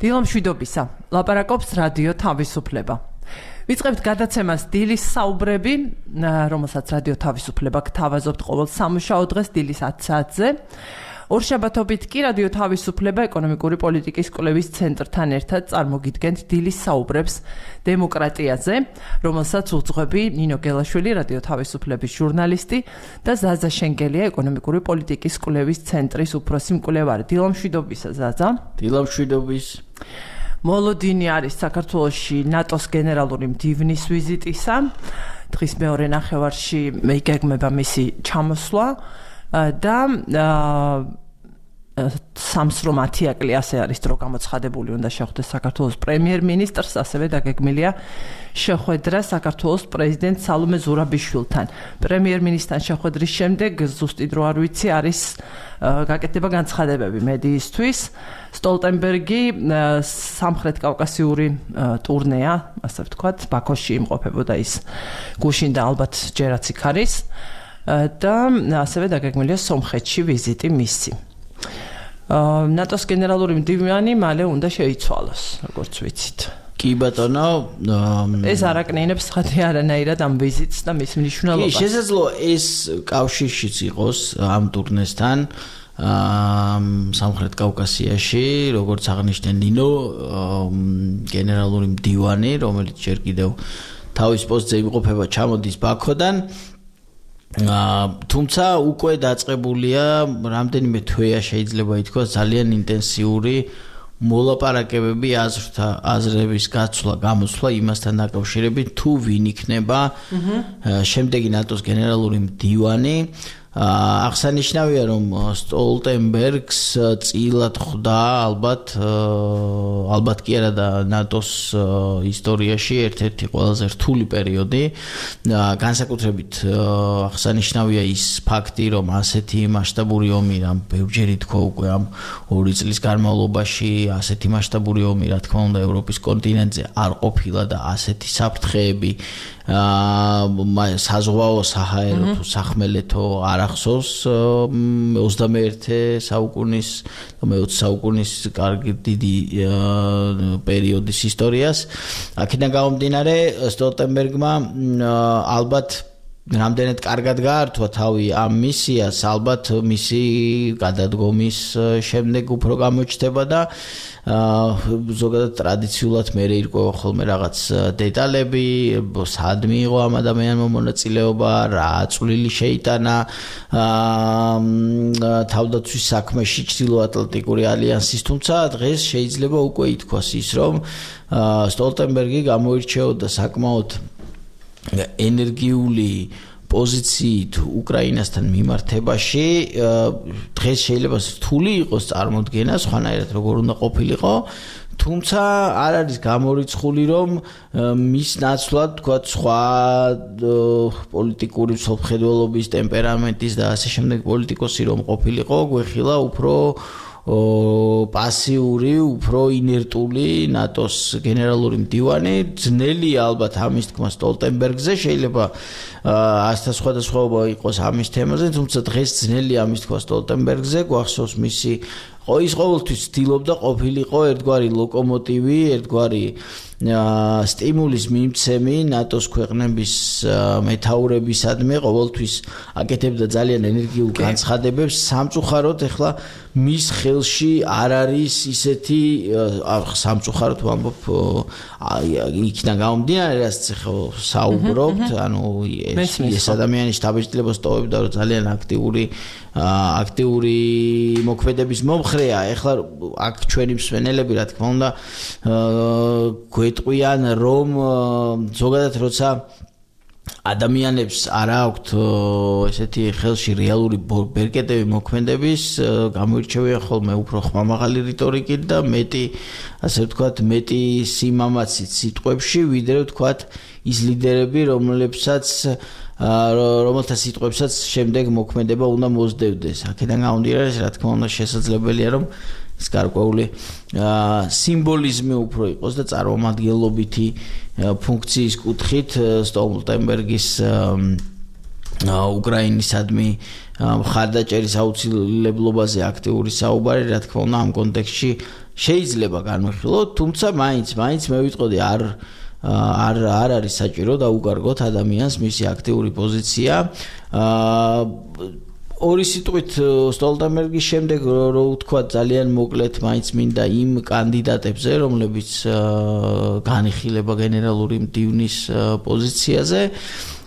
დილამშვიდობისა, ლაპარაკობს რადიო თავისუფლება. ვიწყებთ გადაცემას დილის საუბრები, რომელსაც რადიო თავისუფლება გთავაზობთ ყოველ სამუშაო დღეს დილის 10 საათზე. ორშაბათობით კი რადიო თავისუფლება ეკონომიკური პოლიტიკის კვლევის ცენტრთან ერთად წარმოგიდგენთ დილის საუბრებს დემოკრატიაზე, რომელსაც უძღვები ნინო გელაშვილი, რადიო თავისუფლების ჟურნალისტი და ზაზა შენგელია, ეკონომიკური პოლიტიკის კვლევის ცენტრის უფროსი მკვლევარი. დილამშვიდობისა, ზაზა. დილამშვიდობის. მოლოდინი არის საქართველოში ნატოს გენერალური მდივნის ვიზიტისა. დღის მეორე ნახევარში იგეგმება მისი ჩამოსვლა და სამსრო მათიაკლი ასე არის დრო გამოცხადებული, უნდა შეხვდეს საქართველოს პრემიერ-მინისტრს, ასევე დაგეგმილია შეხვედრა საქართველოს პრეზიდენტ სალომე ზურაბიშვილთან. პრემიერ-მინისტრთან შეხვედრის შემდეგ ზუსტი დრო არ ვიცი, არის გაკეთდება განცხადებები მედიისთვის. სტოლტენბერგი სამხრეთ კავკასიური ტურნეა, ასე ვთქვათ, ბაქოში იმყოფებოდა ის გუშინ და ალბათ ჯერაც იქ არის და ასევე დაგეგმილია სომხეთში ვიზიტი მისი. ნატოს გენერალური მდივანი მალე უნდა შეიცვალოს, როგორც ვიცით. კი ბატონო, ეს არაკნინებს ხათი არანაირად ამ ვიზიტს და მის მნიშვნელობას. კი, შესაძლოა ეს კავშირშიც იყოს ამ ტურნესთან სამხრეთ კავკასიაში, როგორც აღნიშნე ნინო, გენერალური მდივანი, რომელიც ჯერ კიდევ თავის პოსტზე იმყოფება, ჩამოდის ბაქოდან. თუმცა უკვე დაწყებულია რამდენიმე თვეა შეიძლება ითქვას ძალიან ინტენსიური მოლაპარაკებები აზრების გამოსვლა იმასთან დაკავშირებით თუ ვინ იქნება შემდეგი ნატოს გენერალური მდივანი. აღსანიშნავია რომ სტოლტენბერგს წილად ხვდა ალბათ კი არა და ნატოს ისტორიაში ერთ-ერთი ყველაზე რთული პერიოდი. განსაკუთრებით აღსანიშნავია ის ფაქტი რომ ასეთი მასშტაბური ომი რამ ბევრჯერ ითქვა უკვე ამ 2 წლის განმავლობაში ასეთი მასშტაბური ომი რა თქმა უნდა ევროპის კონტინენტზე არ ყოფილა და ასეთი საფრთხეები საზღვაო საჰაერო თუ სახმელეთო არ ახსოვს 21 საუკუნის და 20 საუკუნის კარგი დიდი პერიოდის ისტორიას. აქედან გამომდინარე სტოლტენბერგმა ალბათ რამდენად კარგად გაართვა თავი ამ მისიას, ალბათ მისი გადადგომის შემდეგ უფრო გამოჩნდება და ზოგადად ტრადიციულად მე ირკვევა ხოლმე რაღაც დეტალები, სად მიიღო ამ ადამიანმა მონაწილეობა, რა წვლილი შეიტანა თავდაცვის საქმეში ჩრდილოატლანტიკური ალიანსის, თუმცა დღეს შეიძლება უკვე ითქვას ის, რომ სტოლტენბერგი გამოირჩეოდა საკმაოდ ენერგიული პოზიციით უკრაინასთან მიმართებაში. დღეს შეიძლება რთული იყოს წარმოდგენა სხვანაირად როგორ უნდა ყოფილიყო, თუმცა არ არის გამორიცხული რომ მის ნაცვლად თქვათ სხვა პოლიტიკური მსოფლმხედველობის ტემპერამენტის და ასე შემდეგ პოლიტიკოსი რომ ყოფილიყო, გვეხილა უფრო პასიური, უფრო ინერტული ნატოს გენერალური მდივანი. ძნელია ალბათ ამის თქმა სტოლტენბერგზე, შეიძლება ასთა სხვადასხვაობა იყოს ამის თემაზე, თუმცა დღეს ძნელია ამის თქმა სტოლტენბერგზე. გვახსოვს მისი ის ყოველთვის ცდილობდა ყოფილიყო ერთგვარი ლოკომოტივი, ერთგვარი სტიმულის მიმცემი ნატოს ქვეყნების მეთაურებისადმი, ყოველთვის აკეთებდა ძალიან ენერგიულ განცხადებებს. სამწუხაროდ ეხლა მის ხელში არ არის ისეთი სამწუხაროდ ვამბობ იქიდან გამომდინარე რაც საუბრობთ, ანუ ეს ადამიანი შტაბ-ჭდილებას ტოვებდა რომ ძალიან აქტიური მოქმედების მომხრეა. ეხლა აქ ჩვენი მსმენელები რა თქმა უნდა გვეტყვიან რომ ზოგადად როცა ადამიანებს არ აქვთ ესეთი ხელში რეალური ბერკეტები მოქმედების, გამოირჩევიან ხოლმე უფრო ხმამაღალი რიტორიკით და მეტი, ასე ვთქვათ, მეტი სიმამაცით სიტყვებში, ვიდრე ვთქვათ ის ლიდერები, რომელთა სიტყვებსაც შემდეგ მოქმედება უნდა მოსდევდეს. აქედან გამომდინარე, რა თქმა უნდა, შესაძლებელია რომ ეს გარკვეული სიმბოლიზმი უფრო იყოს და წარმომადგენლობითი ფუნქციის კუთხით სტოლტენბერგის უკრაინისადმი მხარდაჭერის აუცილებლობაზე აქტიური საუბარი, რა თქმა უნდა, ამ კონტექსტში შეიძლება განვიხილოთ, თუმცა მაინც მე ვიტყოდი არ არის საჭირო დაუკარგოთ ადამიანს მისი აქტიური პოზიცია. ორი სიტყვით სტოლტენბერგის შემდეგ რო ვთქვა ძალიან მოკლედ მაინც მინდა იმ კანდიდატებზე რომლებიც განიხილება გენერალური მდივნის პოზიციაზე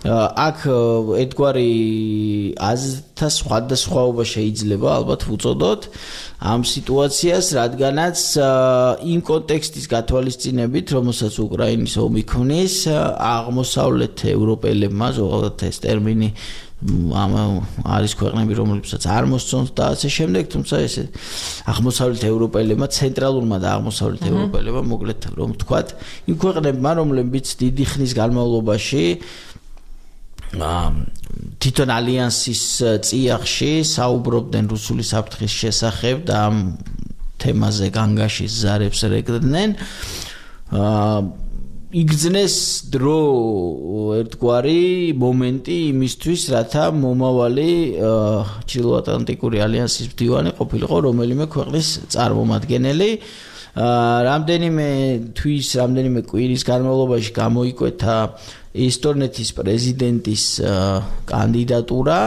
აქ ერთგვარი აზრთა სხვადასხვაობა შეიძლება ალბათ ვუწოდოთ ამ სიტუაციას რადგანაც იმ კონტექსტის გათვალისწინებით რომელსაც უკრაინის ომი ქმნის აღმოსავლეთ ევროპელებმა ზოგადად ეს ტერმინი არის ქვეყნები რომლებსაც არ მოსწონთ და ასე შემდეგ თუმცა ეს აღმოსავლეთ ევროპელებმა ცენტრალურმა და აღმოსავლეთ ევროპელებმა მოკლედ რომ ვთქვათ იმ ქვეყნებმა რომლებიც დიდი ხნის განმავლობაში თვითონ ალიანსის წიაღში საუბრობდნენ რუსული საფრთხის შესახებ და ამ თემაზე განგაშის ზარებს რეკდნენ იგრძნეს დრო ერთგვარი მომენტი იმისთვის რათა მომავალი ჩრდილოატლანტიკური ალიანსის მდივანი ყოფილიყო რომელიმე ქვეყნის წარმომადგენელი რამდენიმე თვის რამდენიმე კვირის განმავლობაში გამოიკვეთა ესტონეთის პრეზიდენტის კანდიდატურა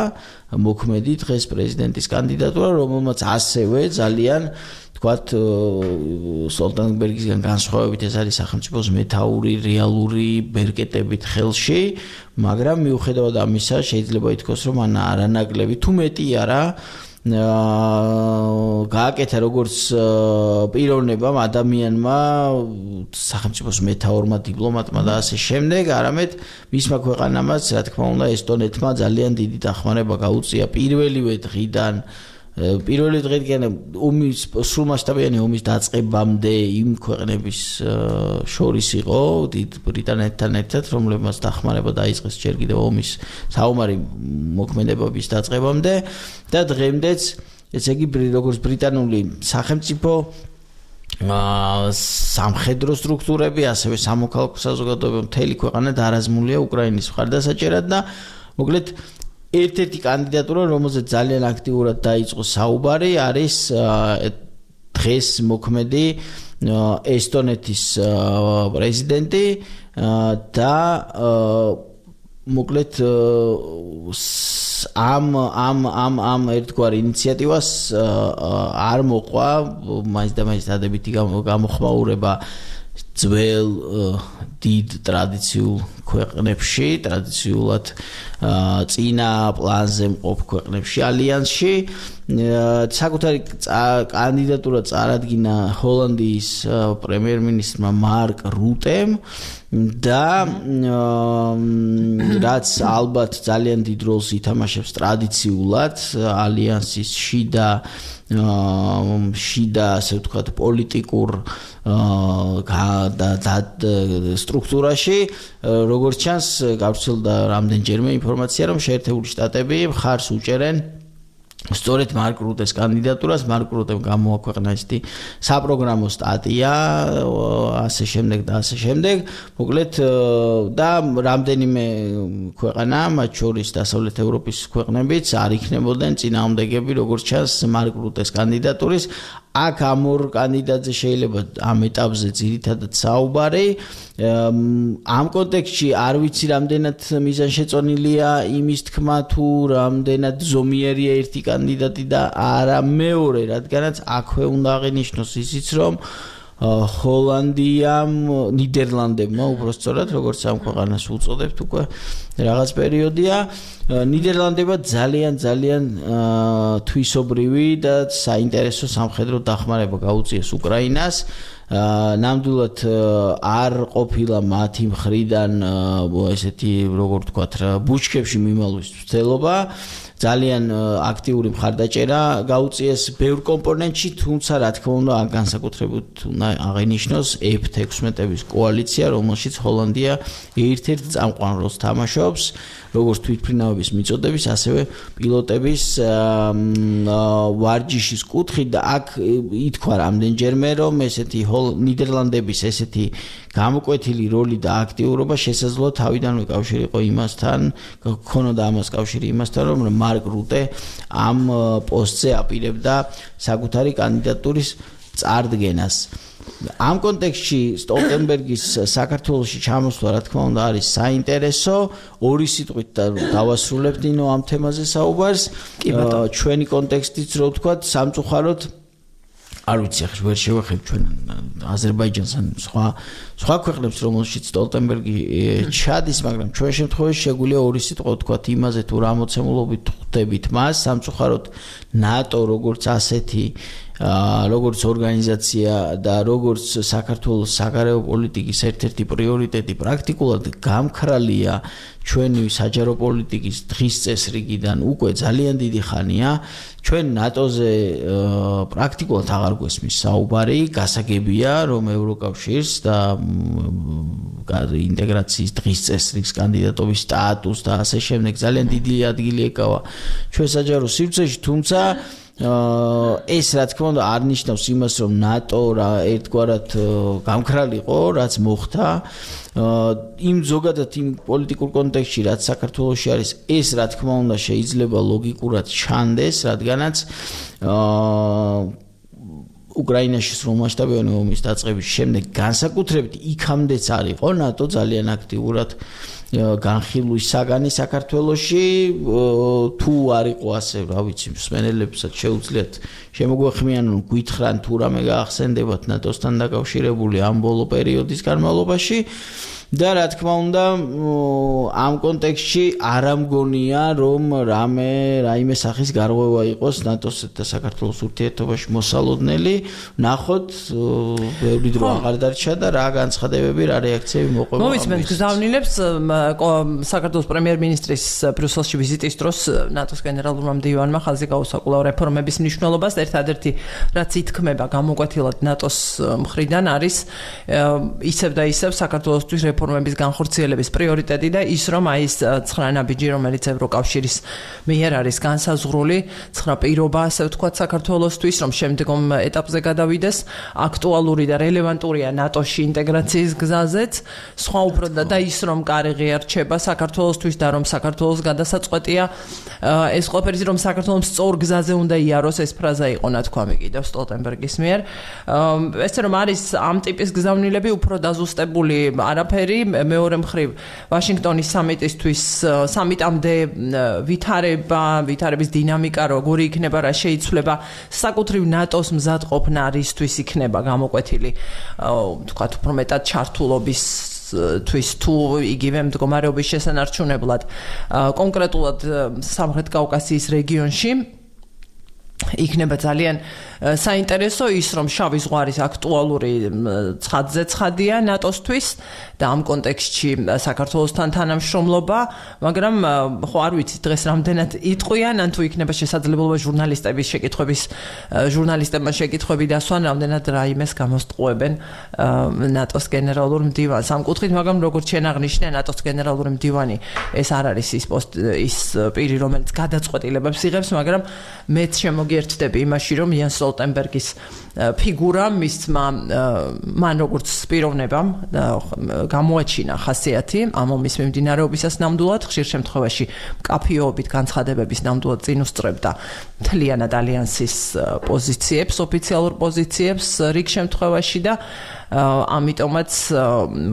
მოქმედი დღეს პრეზიდენტის კანდიდატურა რომელმაც ასევე ძალიან თქვათ სტოლტენბერგისგან განსხვავებით ეს არის სახელმწიფოს მეთაური რეალური ბერკეტებით ხელში მაგრამ მიუხედავად ამისა შეიძლება ითქვას რომ არანაკლები თუ მეტი არა გააკეთა როგორც პიროვნებამ ადამიანმა სახელმწიფოს მეთაურმა დიპლომატმა და ასე შემდეგ არამედ მისმა ქვეყანამაც რა თქმა უნდა ესტონეთმა ძალიან დიდი დახმარება გაუწია პირველივე დღიდან ომის სრულმასშტაბიანი ომის დაწყებამდე იმ ქვეყნების შორის იყო დიდ ბრიტანეთთან ერთად რომლებმაც დახმარება დაიწყეს ჯერ კიდევ ომის საომარი მოქმედებების დაწყებამდე და დღემდეც ესე იგი როგორც ბრიტანული სახელმწიფო სამხედრო სტრუქტურები ასევე სამოქალაქო საზოგადოება მთელი ქვეყანა დაარაზმულია უკრაინის მხარდასაჭერად და მოკლედ ერთ-ერთი კანდიდატურა რომელზეც ძალიან აქტიურად დაიწყო საუბარი არის დღეს მოქმედი ესტონეთის პრეზიდენტი და მოკლედ ამ ერთგვარ ინიციატივას არ მოყვა მაინც და მაინც დადებითი გამოხმაურება ძველ დიდ ტრადიციულ ქვეყნებში ტრადიციულად წინა პლანზე მყოფ ქვეყნებში ალიანსში საკუთარი კანდიდატურა წარადგინა ჰოლანდიის პრემიერ-მინისტრმა მარკ რუტემ და რაც ალბათ ძალიან დიდ როლს ითამაშებს ტრადიციულად ალიანსის შიდა ასე ვთქვათ პოლიტიკურ სტრუქტურაში როგორც ჩანს გავრცელდა რამდენჯერმე ინფორმაცია რომ შეერთებული შტატები მხარს უჭერენ სწორედ მარკ რუტეს კანდიდატურას მარკ რუტემ გამოაქვეყნა ისეთი საპროგრამო სტატია ასე შემდეგ და ასე შემდეგ მოკლედ და რამდენიმე ქვეყანა მათ შორის დასავლეთ ევროპის ქვეყნებიც არ იქნებოდნენ წინააღმდეგები როგორც ჩანს მარკ რუტეს კანდიდატურის აქ ამ ორ კანდიდატზე შეიძლება ამ ეტაპზე ძირითადად საუბარი ამ კონტექსტში არ ვიცი რამდენად მიზანშეწონილია იმის თქმა თუ რამდენად ზომიერია ერთი კანდიდატი და არა მეორე რადგანაც აქვე უნდა აღინიშნოს ისიც რომ ჰოლანდიამ ნიდერლანდებმა უბრალოდ როგორც ამ ქვეყანას უწოდებთ უკვე რაღაც პერიოდია ნიდერლანდებმა ძალიან თვისობრივი და საინტერესო სამხედრო დახმარება გაუწიეს უკრაინას ნამდვილად არ ყოფილა მათი მხრიდან ესეთი როგორ ვთქვათ ბუჩქებში მიმალვის ცდელობა ძალიან აქტიური მხარდაჭერა გაუწიეს ბევრ კომპონენტში თუმცა რა თქმა უნდა ამ განსაკუთრებით უნდა აღინიშნოს F-16-ების კოალიცია რომელშიც ჰოლანდია ერთ-ერთ წამყვან როლს თამაშობს როგორც თვითმფრინავების მიწოდების ასევე პილოტების ვარჯიშის კუთხით და აქ ითქვა რამდენჯერმე რომ ესეთი ნიდერლანდების ესეთი გამოკვეთილი როლი და აქტიურობა შესაძლოა თავიდანვე კავშირი იყო იმასთან ქონოდა ამას კავშირი იმასთან რომ მარკ რუტე ამ პოსტზე აპირებდა საკუთარი კანდიდატურის წარდგენას. ამ კონტექსტში სტოლტენბერგის საქართველოში ჩამოსვლა რა თქმა უნდა არის საინტერესო. ორი სიტყვით დავასრულებთ ნინო ამ თემაზე საუბარს. ჩვენი კონტექსტიც რო ვთქვათ, სამწუხაროდ არ ვიცი ახლა ვერ შევეხებ ჩვენ აზერბაიჯანს ან სხვა ქვეყნებს რომელშიც სტოლტენბერგი ჩადის, მაგრამ ჩვენ შემთხვევაში შეგვიძლია ორი სიტყვა ვთქვათ იმაზე თუ რა მოცემულობით ხვდებით მას. სამწუხაროდ ნატო როგორც ასეთი როგორც ორგანიზაცია და როგორც საქართველოს საგარეო პოლიტიკის ერთ-ერთი პრიორიტეტი პრაქტიკულად გამქრალია ჩვენი საჯარო პოლიტიკის დღის წესრიგიდან უკვე ძალიან დიდი ხანია. ჩვენ ნატოზე პრაქტიკულად აღარ გვესმის საუბარი, გასაგებია რომ ევროკავშირს და ინტეგრაციის დღის წესრიგს კანდიდატობის სტატუსს და ასე შემდეგ ძალიან დიდი ადგილი ეკავა ჩვენ საჯარო სივრცეში, თუმცა ეს რა თქმა უნდა არ ნიშნავს იმას რომ ნატო რა ერთგვარად გამქრალიყო რაც მოხდა იმ ზოგადად იმ პოლიტიკურ კონტექსტში რაც საქართველოში არის ეს რა თქმა უნდა შეიძლება ლოგიკურად ჩანდეს რადგანაც უკრაინაში სრულმასშტაბიანი ომის დაწყების შემდეგ განსაკუთრებით იქამდეც არისო ნატო ძალიან აქტიურად განხილვის საგანი საქართველოში თუ არისო ასე რა ვიცი მსმენელებსაც შეუძლიათ შემოგვეხმიანონ გითხრან თუ რამე გაახსენდებათ ნატოსთან დაკავშირებული ამ ბოლო პერიოდის განმავლობაში და რა თქმა უნდა ამ კონტექსტში არ ამგონია რომ რაიმე სახის გარღვევა იყოს ნატოს და საქართველოს ურთიერთობაში მოსალოდნელი ნახოთ ბევრი დრო აღარ დარჩა და რა განცხადებები რა რეაქციები მოყვება მომისმენთ გზავნილებს საქართველოს პრემიერ-მინისტრის ბრიუსელში ვიზიტის დროს ნატოს გენერალურმა მდივანმა ხაზი გაუსაკვლავ რეფორმების მნიშვნელობას ერთადერთი რაც ითქმება გამოკვეთილად ნატოს მხრიდან არის ისევ და ისევ საქართველოსთვის რეფორმების განხორციელების პრიორიტეტი და ის რომ აი ეს 9 ნაბიჯი რომელიც ევროკავშირის მიერ არის განსაზღვრული 9 პირობა ასე ვთქვათ საქართველოსთვის რომ შემდგომ ეტაპზე გადავიდეს აქტუალური და რელევანტურია ნატოში ინტეგრაციის გზაზეც სხვა უფრო და ის რომ კარი ღიარჩება საქართველოსთვის და რომ საქართველოს გადასაწყვეტია ეს ყველაფერი რომ საქართველოს სწორ გზაზე უნდა იაროს ეს ფრაზა იყო ნათქვამი კიდევ სტოლტენბერგის მიერ ესე რომ არის ამ ტიპის გზავნილები უფრო დაზუსტებული არაფერი მეორე მხრივ ვაშინგტონის სამიტისთვის სამიტამდე ვითარების დინამიკა როგორი იქნება რა შეიცვლება საკუთრივ ნატოს მზადყოფნა რისთვის იქნება გამოკვეთილი თქვათ უფრო მეტად ჩართულობის თვის თუ იგივე მდგომარეობის შესანარჩუნებლად კონკრეტულად სამხრეთ კავკასიის რეგიონში იქნება ძალიან საინტერესო ის რომ შავი ზღვარის აქტუალური ცხადზე ცხადია ნატოსთვის და ამ კონტექსტში საქართველოსთან თანამშრომლობა მაგრამ ხო არ ვიცი დღეს რამდენად იტყვიან ან თუ იქნება შესაძლებლობა ჟურნალისტებმა შეკითხვები დასვან რამდენად რაიმეს გამოსტყუებენ ნატოს გენერალურ მდივანს ამ კუთხით მაგრამ როგორც შენ აღნიშნე ნატოს გენერალური მდივანი ეს არ არის ის პირი რომელიც გადაწყვეტილებებს იღებს მაგრამ მეც შემოგიერთდები იმაში რომ იან სტოლტენბერგის ფიგურა მან როგორც პიროვნებამ გამოაჩინა ხასიათი ამ ომის მიმდინარეობისას ნამდვილად ხშირ შემთხვევაში მკაფიობით განცხადებების ნამდვილად წინ უსწრებდა მთლიანად ალიანსის პოზიციებს ოფიციალურ პოზიციებს რიგ შემთხვევაში და ამიტომაც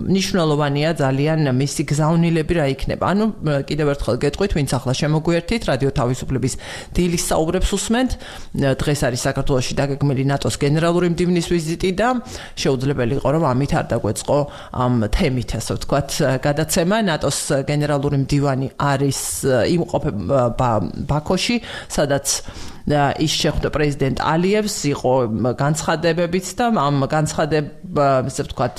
მნიშვნელოვანია ძალიან მისი გზავნილები რა იქნება ანუ კიდევ ერთხელ გეტყვით ვინც ახლა შემოგვიერთით რადიო თავისუფლების დილის საუბრებს უსმენთ დღეს არის საქართველოში დაგეგმილი ნატოს გენერალური მდივნის ვიზიტი და შეუძლებელი იყო რომ ამით არ დაგვეწყო ამ თემით ასე ვთქვათ გადაცემა ნატოს გენერალური მდივანი არის იმყოფება ბაქოში სადაც ის შეხვდა პრეზიდენტ ალიევს იყო განცხადებებიც და ამ ასე ვთქვათ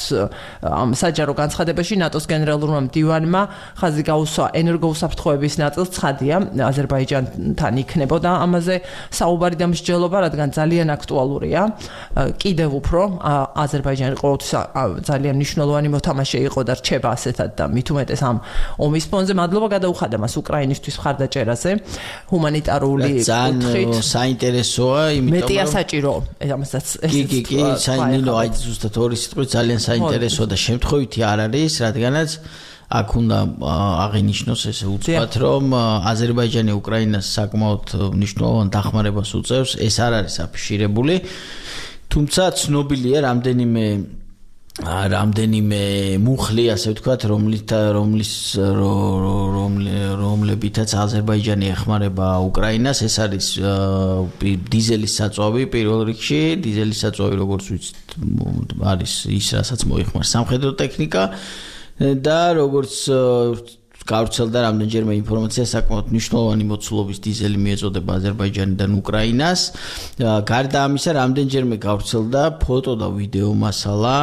ამ საჯარო განცხადებაში ნატოს გენერალურმა მდივანმა ხაზი გაუსვა ენერგოუსაფრთხოების ნაწილს ცხადია აზერბაიჯანთან იქნებოდა ამაზე საუბარი და მსჯელობა რადგან ძალიან აქტუალურია კიდევ უფრო აზერბაიჯანი ყოველთვის ძალიან მნიშვნელოვანი მოთამაშე იყო და რჩება ასეთად და მით უმეტეს ამ ომის ფონზე მადლობა გადაუხადა მას უკრაინისთვის მხარდაჭერაზე ჰუმანიტარული კუთხით საინტერესოა იმიტომ რომ მეტია საჭირო ამასაც კი საინტერესო აი ზუსტად ორი სიტყვით ძალიან საინტერესოა და შემთხვევითი არ არის რადგანაც აქ უნდა აღინიშნოს ესე უცბად რომ აზერბაიჯანი უკრაინას საკმაოდ მნიშვნელოვან დახმარებას უწევს ეს არ არის აფიშირებული თუმცა ცნობილია რამდენიმე მუხლი, ასე ვთქვათ, რომლებითაც აზერბაიჯანი ეხმარება უკრაინას, ეს არის დიზელის საწვავი პირველ რიგში, დიზელის საწვავი როგორც ვიცით არის ის, რასაც მოიხმარს სამხედრო ტექნიკა და როგორც გავრცელდა რამდენჯერმე ინფორმაცია საკმაოდ მნიშვნელოვანი მოცულობის დიზელი მიეწოდება აზერბაიჯანიდან უკრაინას. გარდა ამისა, რამდენჯერმე გავრცელდა ფოტო და ვიდეო მასალა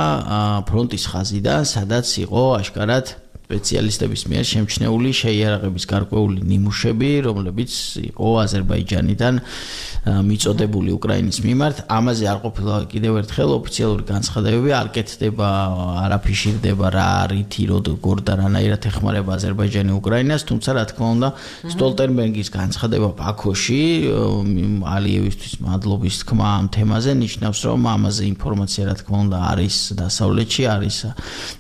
ფრონტის ხაზიდან, სადაც იყო აშკარად სპეციალისტების მიერ შემჩნეული შეიარაღების გარკვეული ნიმუშები, რომლებიც იყო აზერბაიჯანიდან მიწოდებული უკრაინის მიმართ. ამაზე არ ყოფილა კიდევ ერთხელ ოფიციალური განცხადებები, არ კეთდება, არ აფიშირდება რა რითი როგორ და რანაირად ეხმარება აზერბაიჯანი უკრაინას, თუმცა რა თქმა უნდა, სტოლტენბერგის განცხადება ბაქოში ალიევისთვის მადლობის თქმა ამ თემაზე ნიშნავს, რომ ამაზე ინფორმაცია რა თქმა უნდა არის დასავლეთში, არის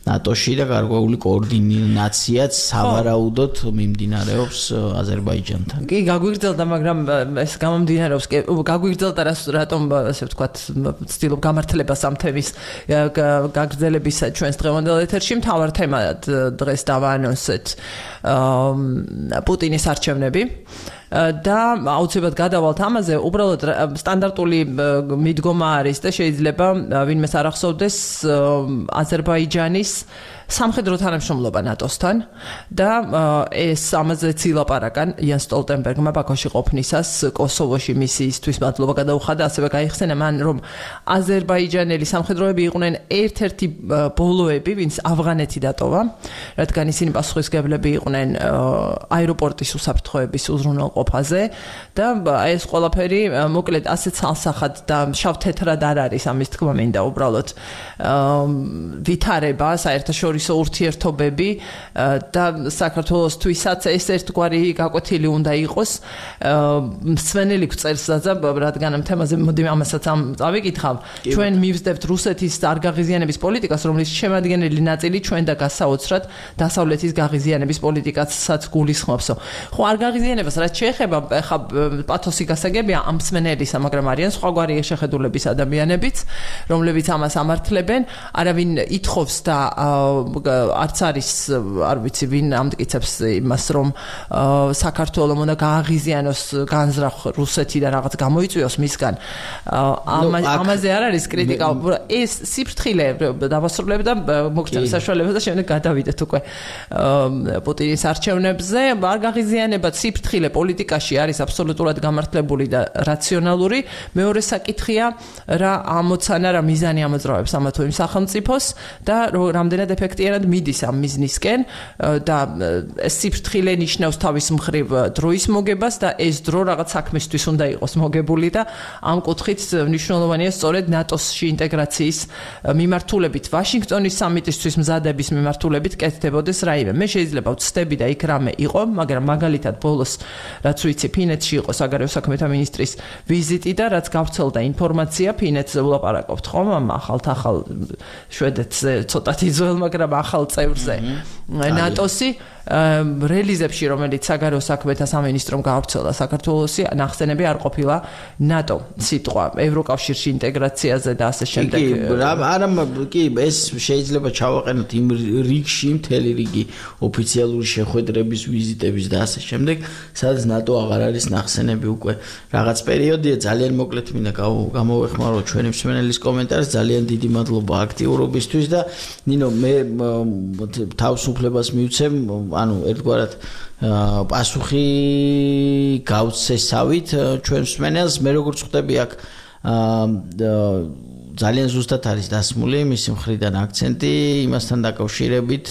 ნატოში და გარკვეული კოორდინაციაც სავარაუდოდ მიმდინარეობს აზერბაიჯანთან. კი, გაგვიგრძელდა, მაგრამ ეს გამომდინარეობს გაგვიგრძელდა რატომ ასე ვთქვათ ცდილობ გამართლებას ამ თემის გაგრძელების ჩვენს დღევანდელ ეთერში. მთავარ თემად დღეს დავაანონსეთ პუტინის არჩევნები და აუცილებლად გადავალთ ამაზე. უბრალოდ სტანდარტული მიდგომა არის და შეიძლება ვინმეს არ ახსოვდეს აზერბაიჯანის სამხედრო თანამშრომლობა ნატოსთან და ეს ამაზეც ილაპარაკან იან სტოლტენბერგმა ბაქოში ყოფნისას კოსოვოში მისიისთვის მადლობა გადაუხადა, ასევე გაიხსენა მან, რომ აზერბაიჯანელი სამხედროები იყვნენ ერთ-ერთი ბოლოები, ვინც ავღანეთი დატოვა, რადგან ისინი პასუხისმგებლები იყვნენ აეროპორტის უსაფრთხოების უზრუნველყოფაზე და ეს ყველაფერი მოკლედ ასე ცალსახად და შავ-თეთრად არ არის, ამის თქმა მინდა უბრალოდ ვითარება საერთაშორისო ურთიერთობები და საქართველოსთვისაც ეს ერთგვარი გაკვეთილი უნდა იყოს. მსვენელი გვწერს რადგან ამ თემაზე მოდი ამასაც წავიკითხავ. ჩვენ მივსდებთ რუსეთის არ გაღიზიანების პოლიტიკას, რომლის შემადგენელი ნაწილი ჩვენ და გასაოცრად დასავლეთის გაღიზიანების პოლიტიკასაც გულისხმობსო. ხო, არ გაღიზიანებას რაც შეეხება, ხა პათოსი გასაგებია ამ მსვენელისა, მაგრამ არიან სხვაგვარი შეხედულების ადამიანებიც, რომლებიც ამას ამართლებენ. არავინ ითხოვს და არც არის, არ ვიცი ვინ ამტკიცებს იმას, რომ საქართველოს უნდა გააღიზიანოს განზრახ რუსეთი და რაღაც გამოიწვიოს მისგან. ამაზე არ არის კრიტიკა. ეს სიფრთხილე დავასრულებ და მოგჭირ საშუალება და შემდეგ გადავიდეთ უკვე პუტინის არჩევნებზე. არ გაღიზიანება სიფრთხილე პოლიტიკაში არის აბსოლუტურად გამართლებული და რაციონალური. მეორე საკითხია, რა ამოცანა, რა მიზანი ამოძრავებს ამა თუ იმ სახელმწიფოს და რამდენად ეფექტიანად მიდის ამ მიზნისკენ და ეს სიფრთხილე ნიშნავს თავის მხრივ დროის მოგებას და ეს დრო რაღაც საქმისთვის უნდა იყოს მოგებული და ამ კუთხით მნიშვნელოვანია სწორედ ნატოსში ინტეგრაციის მიმართულებით, ვაშინგტონის სამიტისთვის მზადების მიმართულებით კეთდებოდეს რაიმე. მე შეიძლება ვცდები და იქ რამე იყო, მაგრამ მაგალითად ბოლოს რაც ვიცი ფინეთში იყო საგარეო საქმეთა მინისტრის ვიზიტი და რაც გავრცელდა ინფორმაცია ფინეთზე ვლაპარაკობთ ხომ ამ ახალ შვედეთზე ცოტათი ძველ, მაგრამ ახალ წევრზე ნატოსი რელიზებში, რომელიც საგარეო საქმეთა სამინისტრომ გავრცელდა საქართველოსი, ნახსენები არ ყოფილა ნატო სიტყვა ევროკავშირში ინტეგრაციაზე და ასე შემდეგ. არა, კი, ეს შეიძლება ჩავაყენოთ იმ რიგში, მთელი რიგი ოფიციალური შეხვედრების, ვიზიტების და ასე შემდეგ, სადაც ნატო აღარ არის ნახსენები უკვე. რაღაც პერიოდია, ძალიან მოკლედ მინდა გამოვეხმარო ჩვენი მსმენელის კომენტარს, ძალიან დიდი მადლობა აქტიურობისთვის და ნინო, მე თავისუფლებას მივცემ, ანუ ერთგვარად პასუხი გავცესავით ჩვენ მსმენელს. მე როგორც ხვდები აქ ძალიან ზუსტად არის დასმული მისი მხრიდან აქცენტი იმასთან დაკავშირებით,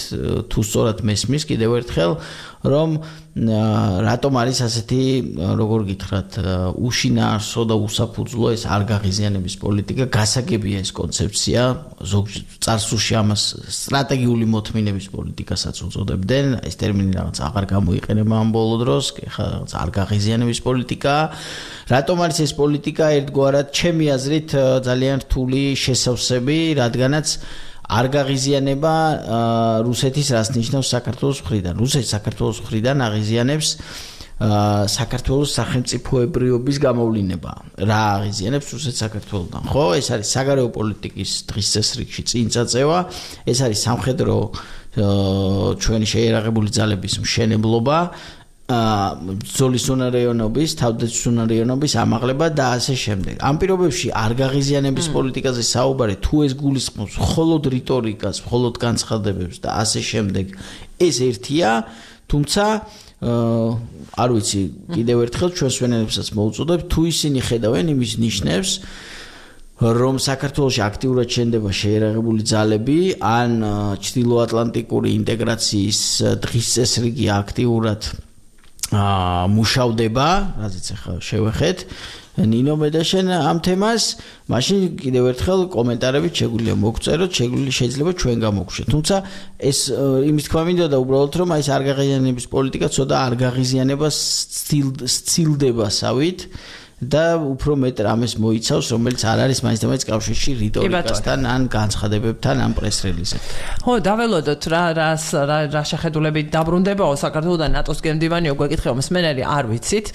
თუ სწორად მესმის კიდევ ერთხელ, რომ რატომ არის ასეთი, როგორ გითხრათ, უშინაარსო და უსაფუძვლო ეს არ გაღიზიანების პოლიტიკა. გასაგებია ეს კონცეფცია, წარსულში ამას სტრატეგიული მოთმინების პოლიტიკასაც უწოდებდნენ, ეს ტერმინი რაღაც აღარ გამოიყენება ამ ბოლო დროს, ხა რაღაც არ გაღიზიანების პოლიტიკა. რატომ არის ეს პოლიტიკა? ერთგვარად ჩემი აზრით ძალიან რთული შესავსები, რადგანაც არ გაღიზიანება რუსეთის რას ნიშნავს საქართველოს მხრიდან. რუსეთი საქართველოს მხრიდან აღიზიანებს საქართველოს სახელმწიფოებრიობის გამოვლინება. რა აღიზიანებს რუსეთ საქართველოსთან? ხო, ეს არის საგარეო პოლიტიკის დღის წესრიგში წინ წაწევა, ეს არის სამხედრო ჩვენი შეიარაღებული ძალების მშენებლობა, ბრძოლის უნარიანობის, თავდაცვის უნარიანობის ამაღლება და ასე შემდეგ. ამ პირობებში არ გაღიზიანების პოლიტიკაზე საუბარი თუ ეს გულისხმობს მხოლოდ რიტორიკას, მხოლოდ განცხადებებს და ასე შემდეგ, ეს ერთია, თუმცა არ ვიცი, კიდევ ერთხელ ჩვენ სვენელებსაც მოუწოდებთ, თუ ისინი ხედავენ იმის ნიშნებს, რომ საქართველოში აქტიურად შენდება შეიარაღებული ძალები, ან ჩრდილოატლანტიკური ინტეგრაციის დღის წესრიგი აქტიურად მუშავდება, რაზეც ახლა შევეხეთ ნინო მედაშენ ამ თემას, მაშინ კიდევ ერთხელ კომენტარებით შეგვიძლია მოგწეროთ, შეიძლება ჩვენ გამოგშვით. თუმცა ეს იმის თქმა მინდოდა უბრალოდ რომ ეს არ გაღიზიანების პოლიტიკა ცოტა არ გაღიზიანებას სცილდებასავით და უფრო მეტ რამეს მოიცავს, რომელიც არ არის მაინც და მაინც კავშირში რიტორიკასთან ან განცხადებებთან ან პრეს-რელიზებთან. ხო, დაველოდოთ რა შეხედულებით დაბრუნდებაო საქართველოსთან ნატოს გემდივანი გვეკითხება მსმენელი, არ ვიცით.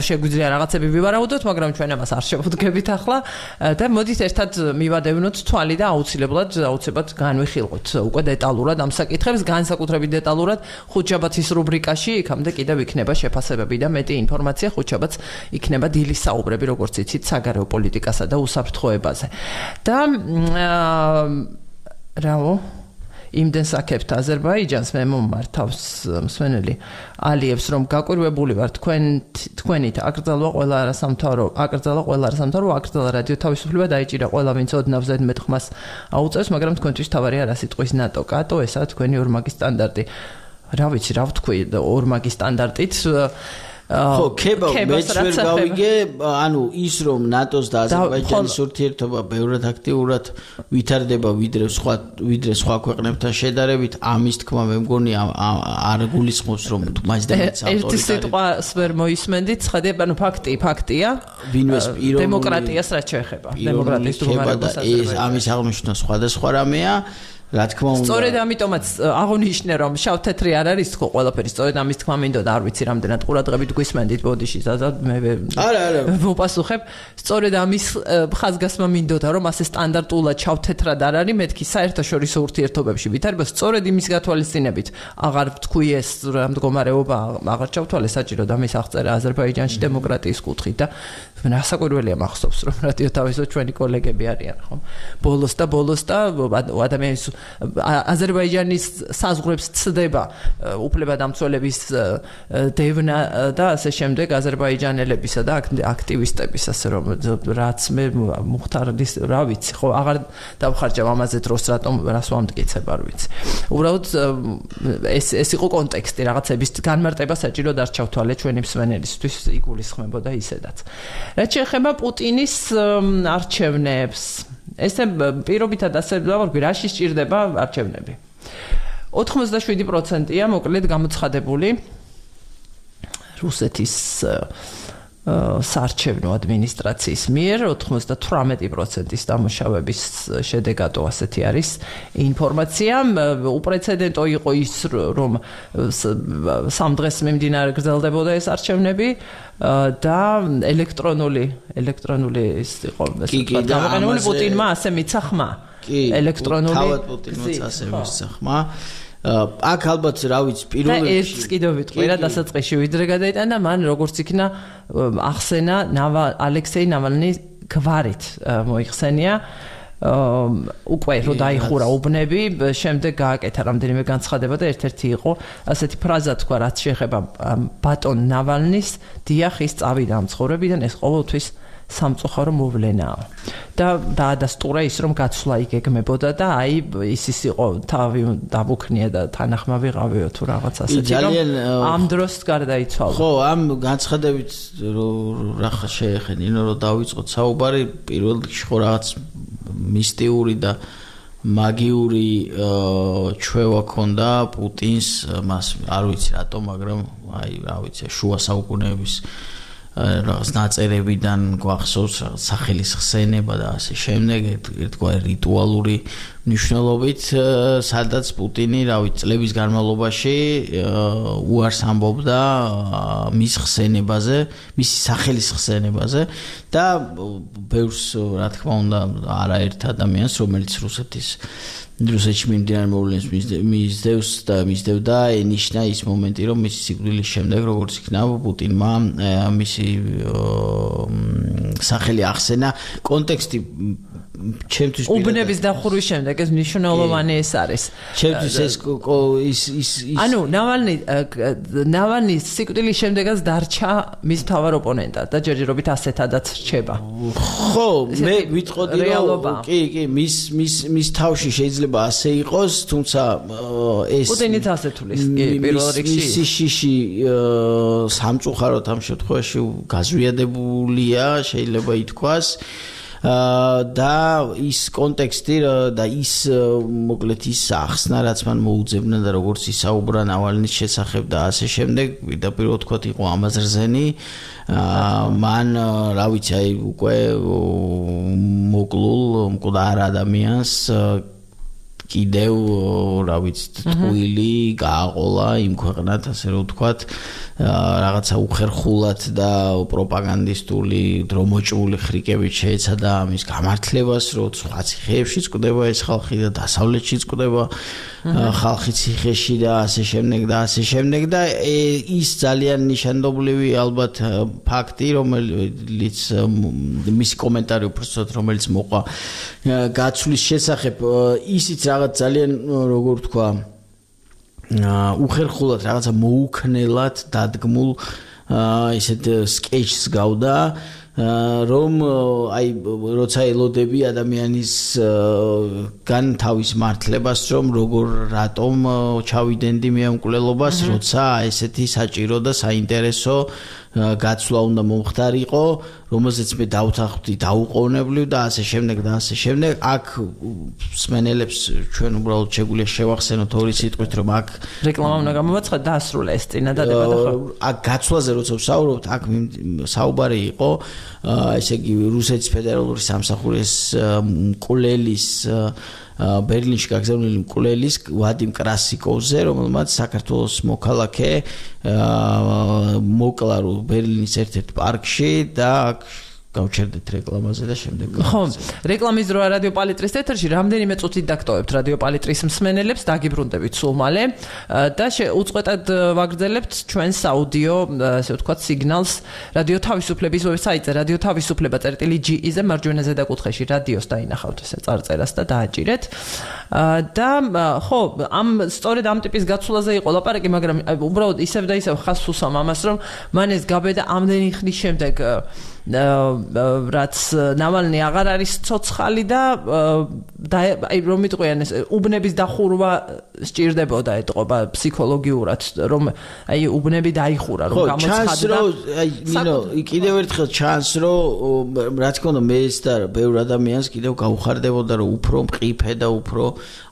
შეგვიძლია რაღაცები ვივარაუდოთ, მაგრამ ჩვენ ამას არ შევუდგებით ახლა და მოდით ერთად მივადევნოთ თვალი და აუცილებლად განვიხილოთ უკვე დეტალურად ამ საკითხებს, განსაკუთრებით დეტალურად ხუთშაბათის რუბრიკაში, იქამდე კიდევ იქნება შეფასებები და მეტი ინფორმაცია ხუთშაბათს იქნება დილის საუბრები, როგორც იცით, საგარეო პოლიტიკასა და უსაფრთხოებაზე. და რაო იმდენს აქებთ აზერბაიჯანს მე მომართავს მსმენელი ალიევს რომ გაკვირვებული ვარ თქვენით აკრძალვა ყველა არასამთავრო აკრძალა რადიო თავისუფლება დაიჭირა ყველა ვინც ოდნავ ზედმეტ ხმას აუწევს მაგრამ თქვენთვის თავარი არა სიტყვის ნატო კატო ესაა თქვენი ორმაგი სტანდარტი რა ვიცი რა ვთქვი ორმაგი სტანდარტით ხო, მეც ვერ გავიგე, ანუ ის რომ ნატოს და აზერბაიჯანის ურთიერთობა ბევრად აქტიურად ვითარდება ვიდრე სხვა ქვეყნებთან შედარებით, ამის თქმა მე მგონი არ გულისხმობს რომ მაინც და მაინც ავტორიტარი. ერთი სიტყვას ვერ მოისმენდით, ხედავ, ანუ ფაქტია. ვინმეს პიროვნული დემოკრატიას რაც შეეხება. დემოკრატიის დუმარებას ეს ამის აღნიშვნა სხვადასხვა რამეა. რა თქმა უნდა. სწორედ ამიტომაც აღნიშნე რომ შავ-თეთრი არ არის ხო ყველაფერი, სწორედ ამის თქმა მინდოდა, არ ვიცი რამდენად ყურადღებით გვისმენდით ბოდიში ზაზად მე არა. მოპასუხებ. სწორედ ამის ხაზგასმა მინდოდა რომ ასე სტანდარტულად შავ-თეთრად არ არის, მეთქი საერთაშორისო ურთიერთობებში ვითარება, სწორედ იმის გათვალისწინებით აღარ ვთქვი ეს რა მდგომარეობა აღარ ჩავთვალე საჭირო და მის აღწერა აზერბაიჯანში დემოკრატიის კუთხით და რასაკვირველია მახსოვს რომ რადიო თავისუფლება ჩვენი კოლეგები არიან ხო ბოლოს და ადამიანის აზერბაიჯანის საზღვრებს ცდება უფლებადამცველების დევნა და ასე შემდეგ აზერბაიჯანელებისა და აქტივისტების ასე რომ რაც მე მუხტარის რა ვიცი ხო აღარ დავხარჯავ ამაზე დროს რას ვამტკიცებ არ ვიცი უბრალოდ ეს იყო კონტექსტი რაღაცების განმარტება საჭირო არ ჩავთვალე ჩვენი მსმენელისთვის იგულისხმებოდა ისედაც რაც შეეხება პუტინის არჩევნებს ესე პირობითად ასე დავარქვი რაში სჭირდება არჩევნები 87%-ია მოკლედ გამოცხადებული რუსეთის საარჩევნო ადმინისტრაციის მიერ 98%-ის დამუშავების შედეგადო ასეთი არის ინფორმაცია უპრეცედენტო იყო ის რომ სამ დღეს მიმდინარე გრძელდებოდა ეს არჩევნები და ელექტრონული ის იყო გამოყენებული პუტინმა ასე მიცა ხმა ელექტრონული თავად პუტინმაც ასე მიცა ხმა აქ ალბათ რა ვიცი პირველ რიგში ერთს კიდევ ვიტყვი რა დასაწყისში ვიდრე გადაიტანა მან როგორც იქნა ახსენა ალექსეი ნავალნის გვარით მოიხსენია უკვე რო დაიხურა უბნები შემდეგ გააკეთა რამდენიმე განცხადება და ერთ-ერთი იყო ასეთი ფრაზა თქვა რაც შეეხება ბატონ ნავალნის დიახ ის წავიდა ამ ცხოვრებიდან ეს ყოველთვის სამწუხარო მოვლენაა და დაადასტურა ის რომ გაცვლა ეგეგმებოდა და აი ის იყო თავი დაბუქნია და თანახმავი ყავიო თუ რაღაც ასეთი რომ ამ დროს გარდაიცვალა ხო ამ განცხადებით რა შეეხენინო რომ დავიწყოთ საუბარი პირველ რიგში ხო რაღაც მისტიური და მაგიური ჩვევა ქონდა პუტინს მას არ ვიცი რატომ მაგრამ აი რა ვიცი შუა საუკუნეების რაღაც ნაწერებიდან გვახსოვს რაღაც სახელის ხსენება და ასე შემდეგ ერთგვარი რიტუალური მნიშვნელობით სადაც პუტინი წლების განმავლობაში უარს ამბობდა მის ხსენებაზე, მისი სახელის ხსენებაზე და ბევრს რა თქმა უნდა არაერთ ადამიანს რომელიც რუსეთში მიმდინარე მოვლენებს მისდევდა ენიშნა ის მომენტი რომ მისი სიკვდილის შემდეგ როგორც იქნა პუტინმა მისი სახელი ახსენა კონტექსტი ჩემთვის უბნების დახურვის შემდეგ ეს მნიშვნელოვანი ეს არის ჩემთვის ის ანუ ნავალნის სიკვდილის შემდეგაც დარჩა მის მთავარ ოპონენტად და ჯერჯერობით ასეთადაც რჩება ხო მე ვიტყოდი რომ კი მის თავში შეიძლება ასე იყოს თუმცა ეს პუტინიც ასე თulis პირველ რიგში მისი შიში სამწუხაროდ ამ შემთხვევაში გაზვიადებულია შეიძლება ითქვას და ის კონტექსტი და ის მოკლედ ის ახსნა რაც მან მოუძებნა და როგორც ისაუბრა ნავალნის შესახებ და ასე შემდეგ პირდაპირ ვთქვათ იყო ამაზრზენი მან რა ვიცი აი უკვე მკვდარ ადამიანს კიდევ რა ვიცი ტყუილი გააყოლა იმ ქვეყნად ასე რომ ვთქვათ რაღაცა უხერხულად და პროპაგანდისტული დრომოჭრული ხრიკებით შეეცადა ამის გამართლებას რომ სხვა ციხეებშიც კვდება ეს ხალხი და დასავლეთშიც კვდება ხალხი ციხეში და ასე შემდეგ და ის ძალიან ნიშანდობლივი ალბათ ფაქტი რომელიც მისი კომენტარი უბრალოდ რომელიც მოყვა გაცვლის შესახებ ისიც რაღაც ძალიან როგორ ვთქვა უხერხულად რაღაცა მოუქნელად დადგმულ ისეთ სკეჩს გავდა რომ აი როცა ელოდები ადამიანის გან თავის მართლებას რომ როგორ რატომ ჩავიდენდი მე ამ მკვლელობას როცა ესეთი საჭირო და საინტერესო გაცვლა უნდა მომხდარიყო რომელზეც მე დავთანხმდი დაუყოვნებლივ და ასე შემდეგ აქ სმენელებს ჩვენ უბრალოდ შეგვიძლია შევახსენოთ ორი სიტყვით რომ აქ რეკლამა უნდა გამოვაცხადოთ და ასრულა ეს წინადადება და ხო აქ გაცვლაზე როცა ვსაუბრობთ აქ საუბარი იყო ესე იგი რუსეთის ფედერალური სამსახურის მკვლელის ბერლინში გაგზავნილი მკვლელის ვადიმ კრასიკოვზე რომელმაც საქართველოს მოქალაქე მოკლა ბერლინის ერთ-ერთ პარკში და გავჩერდეთ რეკლამაზე და შემდეგ ხო რეკლამის დროა რადიო პალიტრის ეთერში რამდენიმე წუთით დაგტოვებთ რადიო პალიტრის მსმენელებს დაგიბრუნდებით სულ მალე და უწყვეტად ვაგრძელებთ ჩვენს აუდიო ასე ვთქვათ სიგნალს რადიო თავისუფლების ვებსაიტზე რადიო თავისუფლება.ge-ზე მარჯვენა ზედაკუთხეში რადიოს დაინახავთ ესე წარწერას და დააჭირეთ და ხო სწორედ ამ ტიპის გაცვლაზე იყო ლაპარაკი მაგრამ უბრალოდ ისევ და ისევ ხას უსვამ ამას რომ მან ეს გაბედა ამდენი ხნის შემდეგ რაც ნავალნი აღარ არის ცოცხალი და აი რომ მიტყვიან ეს უბნების დახურვა სჭირდებოდა ეთყობა ფსიქოლოგიურად რომ აი უბნები დაიხურა რომ გამოცხადდა აი ნინო კიდევ ერთხელ ჩანს რომ რა თქმა უნდა მე ეს და ბევრ ადამიანს კიდევ გაუხარდებოდა რომ უფრო მყიფე და უფრო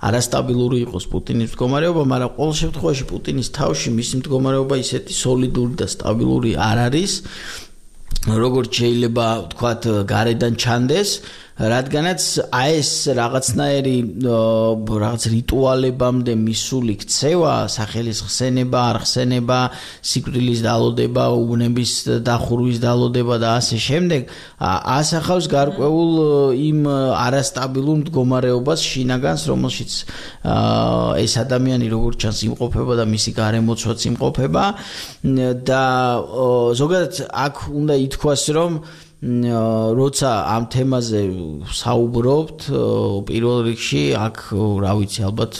არასტაბილური იყოს პუტინის მდგომარეობა მაგრამ ყოველ შემთხვევაში პუტინის თავში მისი მდგომარეობა ისეთი სოლიდური და სტაბილური არ არის როგორც შეიძლება ვთქვათ გარედან ჩანდეს რადგანაც ეს რაღაცნაირი რაღაც რიტუალებამდე მისული ქცევა სახელის ხსენება არ ხსენება სიკვდილის დალოდება უბნების დახურვის დალოდება და ასე შემდეგ ასახავს გარკვეულ იმ არასტაბილურ მდგომარეობას შინაგანს რომელშიც ეს ადამიანი როგორც ჩანს იმყოფება და მისი გარემოცვაც იმყოფება და ზოგადად აქ უნდა ითქვას რომ როცა ამ თემაზე საუბრობთ პირველ რიგში აქ რა ვიცი ალბათ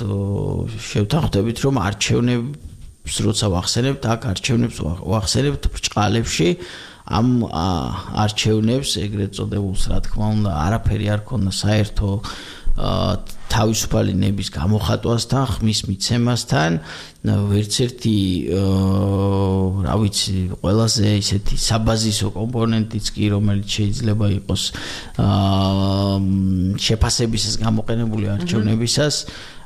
შევთანხმდებით რომ არჩევნებს როცა ვახსენებთ აქ არჩევნებს ვახსენებთ ბრჭყალებში ამ არჩევნებს ეგრეთ წოდებულს რა თქმა უნდა არაფერი არ ქონდა საერთო თავისუფალი ნების გამოხატვასთან ხმის მიცემასთან ვერც ერთი რა ვიცი ყველაზე ისეთი საბაზისო კომპონენტიც კი რომელიც შეიძლება იყოს შეფასებისას გამოყენებული არჩევნებისას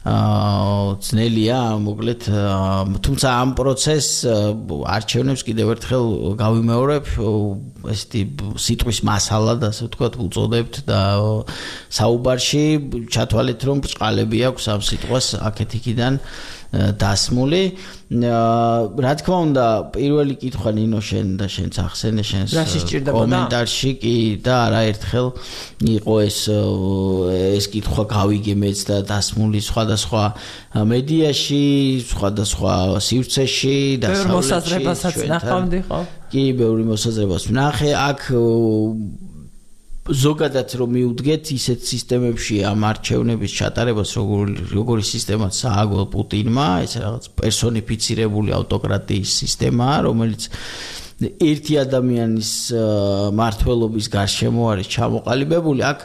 ძნელია მოკლედ თუმცა ამ პროცესს არჩევნებს კიდევ ერთხელ გავიმეორებ ესეთი სიტყვის მასალად ასე ვთქვათ უწოდებთ და საუბარში ჩათვალეთ რომ ბრწყალები აქვს ამ სიტყვას აქეთ-იქიდან დასმული რა თქმა უნდა პირველი კითხვა ნინო შენ და შენც ახსენე შენს კომენტარში კი და არაერთხელ იყო ეს კითხვა გავიგე მეც და დასმული სხვადასხვა მედიაში სხვადასხვა სივრცეში და ბევრ მოსაზრებასაც ნახავდი ხო კი ბევრი მოსაზრებას ვნახე აქ ზოგადად რომ მიუდგეთ ისეთ სისტემებში ამ არჩევნების ჩატარებას როგორი სისტემაც ააგო პუტინმა ეს რაღაც პერსონიფიცირებული ავტოკრატიის სისტემაა რომელიც ერთი ადამიანის მართლობის გარშემო არის ჩამოყალიბებული აქ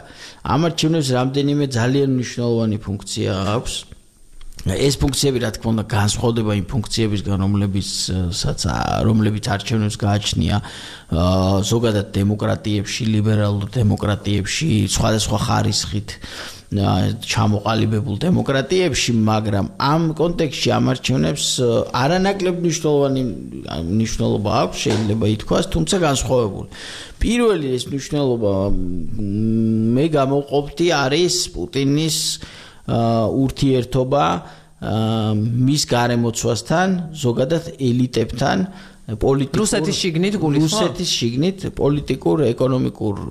ამ არჩევნებს რამდენიმე ძალიან მნიშვნელოვანი ფუნქცია აქვს ეს ფუნქციები რა თქმა უნდა განსხვავდება იმ ფუნქციებისგან რომლებიც არჩევნებს გააჩნია ზოგადად დემოკრატიებში ლიბერალურ დემოკრატიებში სხვადასხვა ხარისხით ჩამოყალიბებულ დემოკრატიებში მაგრამ ამ კონტექსტში ამ არჩევნებს არანაკლებ მნიშვნელობა აქვს შეიძლება ითქვას თუმცა განსხვავებული პირველი ეს მნიშვნელობა მე გამოვყოფდი არის პუტინის ურთიერთობა მის გარემოცვასთან ზოგადად ელიტებთან რუსეთის შიგნით პოლიტიკურ ეკონომიკურ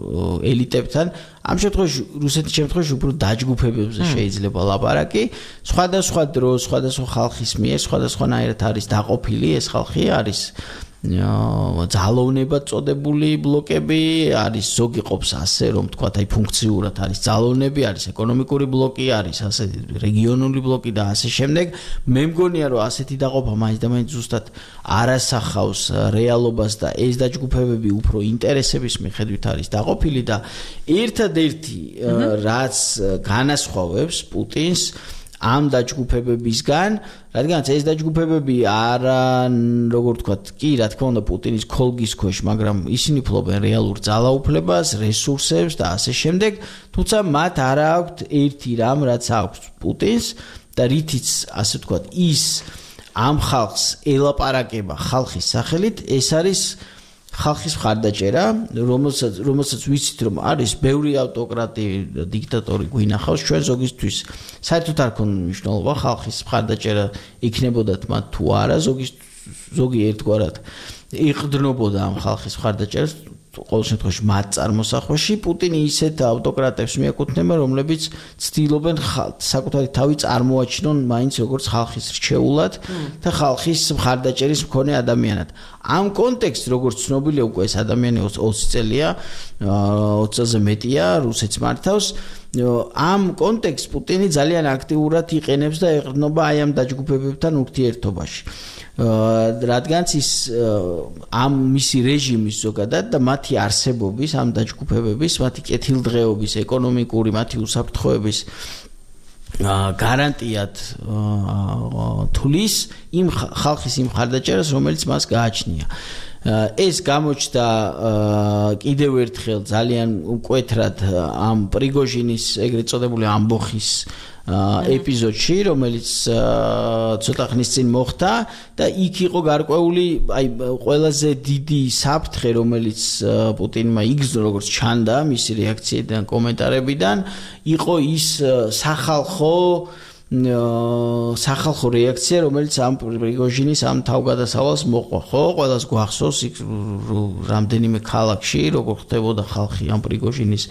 ელიტებთან ამ შემთხვევაში რუსეთის შემთხვევაში უფრო დაჯგუფებებზე შეიძლება ლაპარაკი სხვადასხვა დროს სხვადასხვა ხალხის მიერ სხვადასხვანაირად არის დაყოფილი ეს ხალხი არის ძალოვნებად წოდებული ბლოკები არის ზოგი ყოფს ასე რომ თქვა აი ფუნქციურად არის ძალოვნები არის ეკონომიკური ბლოკი არის ასე რეგიონული ბლოკი და ასე შემდეგ მე მგონია რომ ასეთი დაყოფა მაინც და მაინც ზუსტად არასახავს რეალობას და ეს დაჯგუფებები უფრო ინტერესების მიხედვით არის დაყოფილი და ერთადერთი რაც განასხვავებს პუტინს ამ დაჯგუფებებისგან რადგანაც ეს დაჯგუფებები არა როგორ ვთქვათ კი რა თქმა უნდა პუტინის ქოლგის ქვეშ მაგრამ ისინი ფლობენ რეალურ ძალაუფლებას რესურსებს და ასე შემდეგ თუმცა მათ არ აქვთ ერთი რამ რაც აქვს პუტინს და რითიც ასე ვთქვათ ის ამ ხალხს ელაპარაკება ხალხის სახელით ეს არის ხალხის მხარდაჭერა რომელსაც ვიცით რომ არის ბევრი ავტოკრატი დიქტატორი გვინახავს ჩვენ ზოგისთვის საერთოდ არ ქონდა მნიშვნელობა ხალხის მხარდაჭერა იქნებოდათ მათ თუ არა ზოგი ერთგვარად იყდნობოდა ამ ხალხის მხარდაჭერას ყოველ შემთხვევაში მათ წარმოსახვაში პუტინი ისეთ ავტოკრატებს მიაკუთვნება რომლებიც ცდილობენ საკუთარი თავი წარმოაჩინონ მაინც როგორც ხალხის რჩეულად და ხალხის მხარდაჭერის მქონე ადამიანად ამ კონტექსტში როგორც ცნობილია უკვე ეს ადამიანი 20 წელია 20-ზე მეტია რუსეთს მართავს ამ კონტექსტში პუტინი ძალიან აქტიურად იყენებს და ეყრდნობა აი ამ დაჯგუფებებთან ურთიერთობაში რადგანაც ის ამ მისი რეჟიმის ზოგადად და მათი არსებობის ამ დაჯგუფებების მათი კეთილდღეობის ეკონომიკური მათი უსაფრთხოების გარანტიად თulis იმ ხალხის იმ ხარდაჭერას რომელიც მას გააჩნია ეს გამოჩნდა კიდევ ერთხელ ძალიან მკვეთრად ამ პრიგოჟინის ეგრეთ წოდებული ამბოხის ეპიზოდში რომელიც ცოტა ხნის წინ მოხდა და იქ იყო გარკვეული აი ყველაზე დიდი საფრთხე რომელიც პუტინმა იგრძნო როგორც ჩანდა მისი რეაქციიდან კომენტარებიდან იყო ის სახალხო რეაქცია რომელიც ამ პრიგოჟინის ამ თავგადასავალს მოყვა ხო ყველას გვახსოვს იქ რამდენიმე ქალაქში როგორ ხდებოდა ხალხი ამ პრიგოჟინის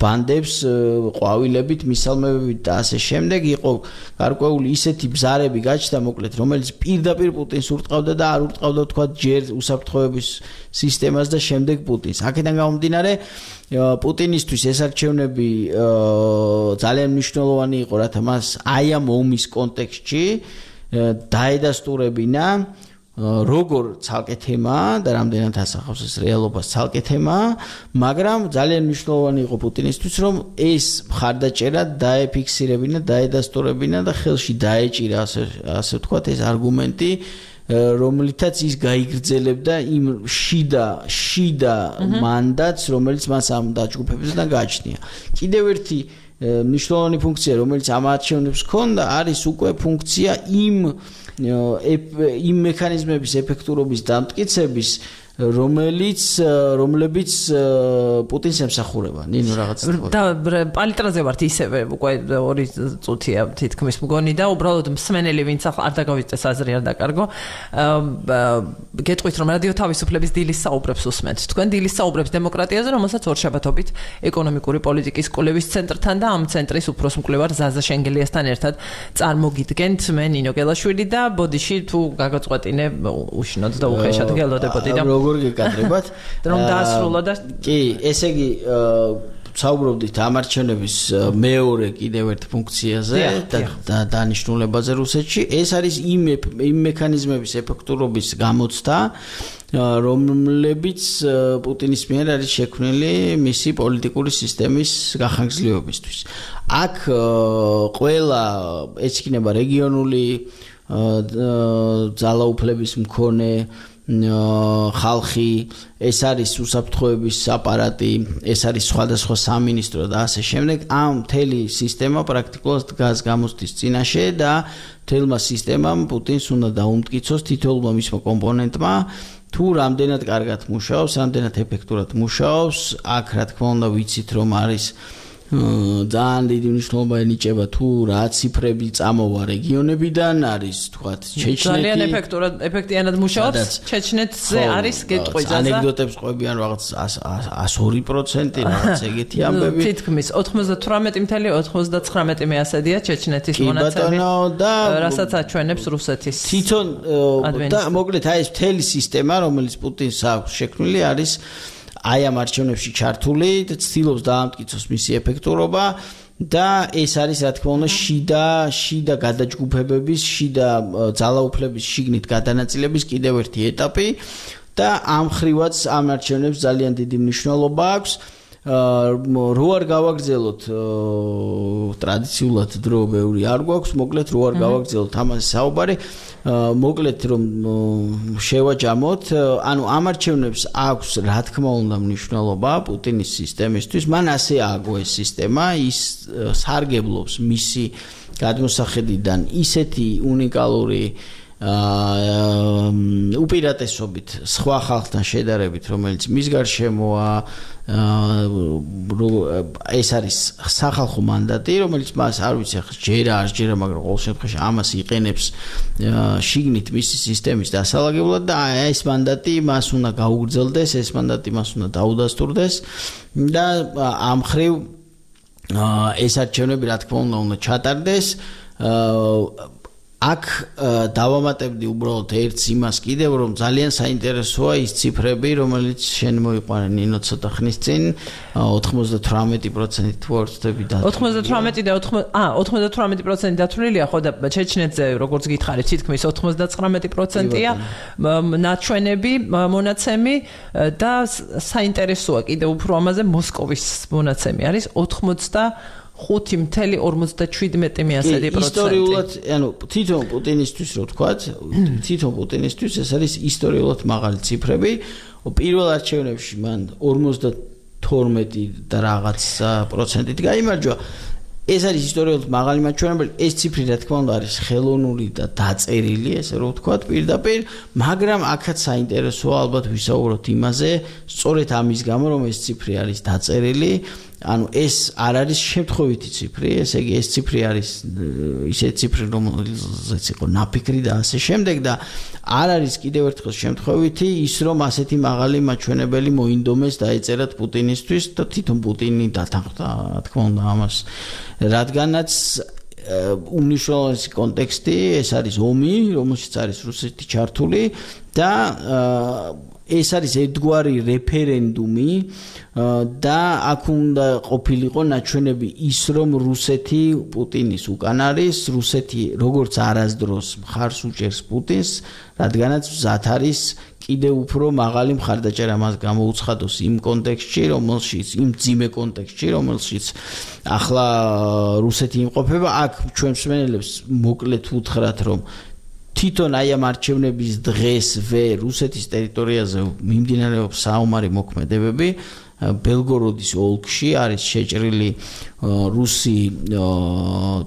ბანდებს ყვავილებით მისალმებით და ასე შემდეგ იყო გარკვეული ისეთი ბზარები გაჩნდა მოკლედ რომელიც პირდაპირ პუტინს ურტყავდა და არ ურტყავდა თქვა ჯერ უსაფრთხოების სისტემას და შემდეგ პუტინს აქედან გამომდინარე პუტინისთვის ეს არჩევნები ძალიან მნიშვნელოვანი იყო რათა მას აი ამ ომის კონტექსტში დაედასტურებინა როგორ ცალკე თემაა და რამდენად ასახავს ეს რეალობას ცალკე თემაა მაგრამ ძალიან მნიშვნელოვანი იყო პუტინისთვის რომ ეს მხარდაჭერა დაეფიქსირებინა დაედასტურებინა და ხელში დაეჭირა ასე ვთქვათ ეს არგუმენტი რომლითაც ის გაიგრძელებდა იმ შიდა მანდატს რომელიც მას ამ დაჯგუფებებიდან გააჩნია კიდევ ერთი მნიშვნელოვანი ფუნქცია, რომელიც ამ არჩევნებს ჰქონდა, არის უკვე ფუნქცია იმ მექანიზმების ეფექტურობის დამტკიცების, რომლებიც პუტინს ემსახურება. ნინო რაღაც და პალიტრაზე ვართ ისევე უკვე 2 წუთია თითქმის მგონი და უბრალოდ მსმენელი ვინც არ დაგავიწყეს აზრი არ დაკარგო. გეტყვით რომ რადიო თავისუფლების დილის საუბრებს უსმენთ. თქვენ დილის საუბრებს დემოკრატიაზე, რომელსაც ორშაბათობით ეკონომიკური პოლიტიკის კვლევის ცენტრთან და ამ ცენტრის უფროს მკვლევარ ზაზა შენგელიასთან ერთად წარმოგიდგენთ. მე ნინო გელაშვილი და ბოდიში თუ გაგაწყვეტინე უშინოდ და უხეშად გელოდებოდი და როგორ გეკადრებათ რომ დაასრულო და კი ესე იგი საუბრობდით ამ არჩევნების მეორე კიდევ ერთ ფუნქციაზე და დანიშნულებაზე რუსეთში ეს არის იმ მექანიზმების ეფექტურობის გამოცდა რომლებიც პუტინის მიერ არის შექმნილი მისი პოლიტიკური სისტემის გახანგრძლივებისთვის აქ ყველა ეჩქინება რეგიონული ძალაუფლების მქონე ხალხი ეს არის უსაფრთხოების აპარატი ეს არის სხვადასხვა სამინისტრო და ასე შემდეგ ამ მთელი სისტემა პრაქტიკულად დგას გამოცდის წინაშე და მთელმა სისტემამ პუტინს უნდა დაუმტკიცოს თითოეულმა მისმა კომპონენტმა თუ რამდენად კარგად მუშაობს რამდენად ეფექტურად მუშაობს აქ რა თქმა უნდა ვიცით რომ არის ძალიან დიდი მნიშვნელობა ენიჭება თუ რა ციფრები წამოვა რეგიონებიდან არის თქვათ ჩეჩნეთი ძალიან ეფექტიანად მუშაობს ჩეჩნეთზე არის გეტყვი ანეკდოტებს ყვებიან რაღაც 102% რაღაც ეგეთი ამბები თითქმის 98.99 მეასედია ჩეჩნეთის მონაცემი და რასაც აჩვენებს რუსეთის თვითონ და მოკლედ აი ეს მთელი სისტემა რომელიც პუტინს აქვს შექმნილი არის აი ამ არჩევნებში ჩართული და ცდილობს დაამტკიცოს მისი ეფექტურობა და ეს არის რა თქმა უნდა შიდა გადაჯგუფებების შიდა ძალაუფლების შიგნით გადანაწილების კიდევ ერთი ეტაპი და ამ ხრივაც ამ არჩევნებს ძალიან დიდი მნიშვნელობა აქვს რო არ გავაგრძელოთ ტრადიციულად დრო ბევრი არ გვაქვს მოკლედ რო არ გავაგრძელოთ ამაზე საუბარი მოკლედ რომ შევაჯამოთ ანუ ამ არჩევნებს აქვს რა თქმა უნდა მნიშვნელობა პუტინის სისტემისთვის მან ასე ააგო ეს სისტემა ის სარგებლობს მისი გადმოსახედიდან ისეთი უნიკალური უპირატესობით სხვა ხალხთან შედარებით რომელიც მის გარშემოა ეს არის სახალხო მანდატი რომელიც მას არ ვიცი ახლა ჯერა მაგრამ ყოველ შემთხვევაში ამას იყენებს შიგნით მისი სისტემის დასალაგებლად და ეს მანდატი მას უნდა გაუგრძელდეს ეს მანდატი მას უნდა დაუდასტურდეს და ამ ხრივ ეს არჩევნები რა თქმა უნდა ჩატარდეს აქ დავამატებდი უბრალოდ ერთს იმას კიდევ რომ ძალიან საინტერესოა ის ციფრები რომელიც შენ მოიყვანე ნინო ცოტა ხნის წინ 98% თუ არ ვცდები და 98 და 98% დათვლილია ხო და ჩეჩნეთზე როგორც გითხარით თითქმის 99%-ია ნაჩვენები მონაცემი და საინტერესოა კიდევ უფრო ამაზე მოსკოვის მონაცემი არის 5.47%. ისტორიულად, ანუ თვითონ პუტინისთვის რო ვთქვათ, თვითონ პუტინისთვის ეს არის ისტორიულად მაღალი ციფრები. პირველ არჩევნებში მან 52 და რაღაც პროცენტით გაიმარჯვა. ეს არის ისტორიულად მაღალი მაჩვენებელი. ეს ციფრი რა თქმა უნდა არის ხელოვნური და დაწერილი, ესე რო ვთქვათ, პირდაპირ, მაგრამ აქაც საინტერესოა ალბათ ვისაუბროთ იმაზე, სწორედ ამის გამო რომ ეს ციფრი არის დაწერილი. ანუ ეს არ არის შემთხვევითი ციფრი, ესე იგი ეს ციფრი არის ისეთი ციფრი რომელზეც იყო ნაფიქრი და ასე შემდეგ და არ არის კიდევ ერთხელ შემთხვევითი ის რომ ასეთი მაღალი მაჩვენებელი მოინდომეს დაეწერათ პუტინისთვის და თვითონ პუტინი დათანხმდა რა თქმა უნდა ამას რადგანაც უმნიშვნელოვანესი კონტექსტი ეს არის ომი რომელშიც არის რუსეთი ჩართული და ეს არის ერთგვარი რეფერენდუმი და აქ უნდა ყოფილიყო ნაჩვენები ის რომ რუსეთი პუტინის უკან არის რუსეთი როგორც არასდროს მხარს უჭერს პუტინს რადგანაც მზად არის კიდევ უფრო მაღალი მხარდაჭერა მას გამოუცხადოს იმ კონტექსტში რომელშიც იმ ძიმე კონტექსტში რომელშიც ახლა რუსეთი იმყოფება აქ ჩვენ მსმენელებს მოკლედ უთხრათ რომ თვითონ აი ამ არჩევნების დღესვე რუსეთის ტერიტორიაზე მიმდინარეობს საომარი მოქმედებები ბელგოროდის ოლქში არის შეჭრილი რუსი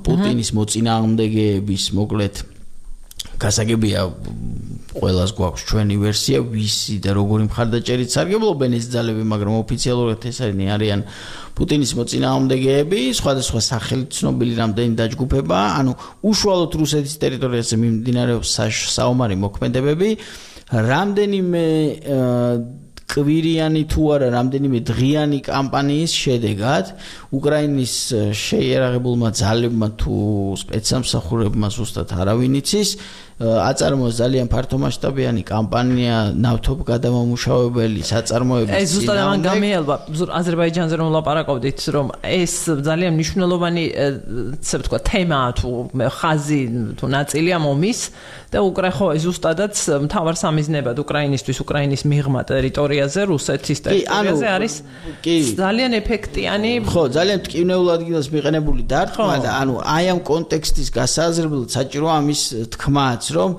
პუტინის მოწინააღმდეგეების მოკლედ გასაგებია ყველას გვაქვს ჩვენი ვერსია ვისი და როგორი მხარდაჭერით სარგებლობენ ეს ძალები მაგრამ ოფიციალურად ეს არიან პუტინის მოწინააღმდეგეები სხვადასხვა სახელით ცნობილი რამდენი დაჯგუფება ანუ უშუალოდ რუსეთის ტერიტორიაზე მიმდინარეობს საომარი მოქმედებები რამდენიმე კვირიანი თუ არა რამდენიმე დღიანი კამპანიის შედეგად უკრაინის შეიარაღებულმა ძალებმა თუ სპეცსამსახურებმა ზუსტად არავინ იცის აწარმოა ძალიან ფართომასშტაბიანი კამპანია ნავთობ გადამამუშავებელი საწარმოების ეს ზუსტად ამან გამიელვა აზერბაიჯანზე რომ ვლაპარაკობდით რომ ეს ძალიან მნიშვნელოვანი ესე ვთქვა თემაა თუ ხაზი თუ ნაწილია მომის და ზუსტადაც მთავარ სამიზნებად უკრაინისთვის უკრაინის მიღმა ტერიტორიაზე რუსეთის ტერიტორიაზე არის ძალიან ეფექტიანი ხო ძალიან მტკივნეულ ადგილას მიყენებული დარტყმა და ანუ აი ამ კონტექსტის გასაზრდელად საჭიროა ამის თქმაც რომ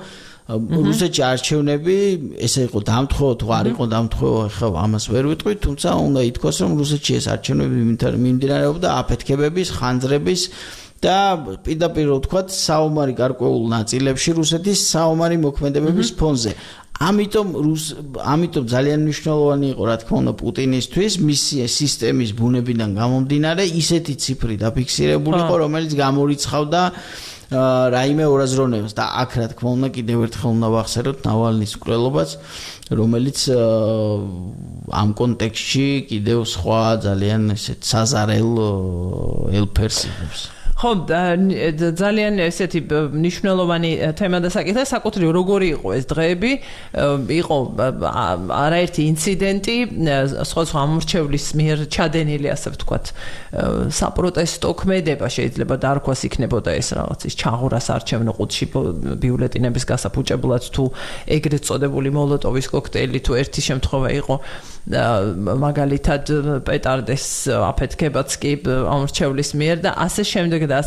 რუსეთში არჩევნები ესე იყო დამთხოვო თუ არ იყო დამთხოვო ხო ამას ვერ ვიტყვით თუმცა უნდა ითქვას რომ რუსეთში ეს არჩევნები მიმდინარეობდა აფეთქებების ხანძრების და პირდაპირ ვთქვათ საომარი გარკვეულ ნაწილებში რუსეთის საომარი მოქმედებების ფონზე ამიტომ ძალიან მნიშვნელოვანი იყო რა თქმა უნდა პუტინისთვის მისი სისტემის ბუნებიდან გამომდინარე ისეთი ციფრი დაფიქსირებული იყო რომელიც გამორიცხავდა რაიმე ორაზროვნებას და აქ რა თქმა უნდა კიდევ ერთხელ უნდა ვახსენოთ ნავალნის მკვლელობაც რომელიც ამ კონტექსტში კიდევ სხვა ძალიან ესეთ საზარელ ელფერს იღებს ხო ძალიან ესეთი მნიშვნელოვანი თემა და საკითხი საკუთრივ როგორი იყო ეს დღეები იყო არაერთი ინციდენტი სხვა ამორჩევლის მიერ ჩადენილი ასე ვთქვათ საპროტესტო ქმედება შეიძლება დარქვას იქნებოდა ეს რაღაც ის ჩაღურას არჩევნო ყუთში ბიულეტინების გასაფუჭებლად თუ ეგრეთ წოდებული მოლოტოვის კოქტეილი თუ ერთი შემთხვევა იყო მაგალითად პეტარდეს აფეთქებაც კი ამორჩევლის მიერ და ასე შემდეგ და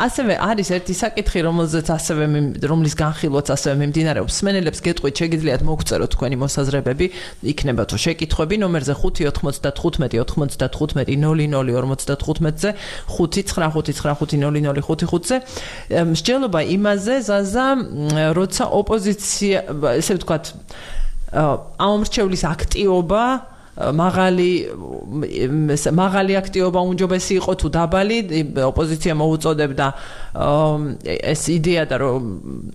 ასევე არის ერთი საკითხი რომლის განხილვაც ასევე მიმდინარეობს სმენელებს გეტყვით შეგიძლიათ მოგწეროთ თქვენი მოსაზრებები იქნება თუ შეკითხვები ნომერზე 5-95-95-00-55-ზე 595-95-00-55-ზე მსჯელობა იმაზე ზაზა როცა ოპოზიცია ესე ვთქვათ ამორჩევლის აქტიობა მაღალი აქტიობა უმჯობესი იყო თუ დაბალი ოპოზიცია მოუწოდებდა ეს იდეა და რომ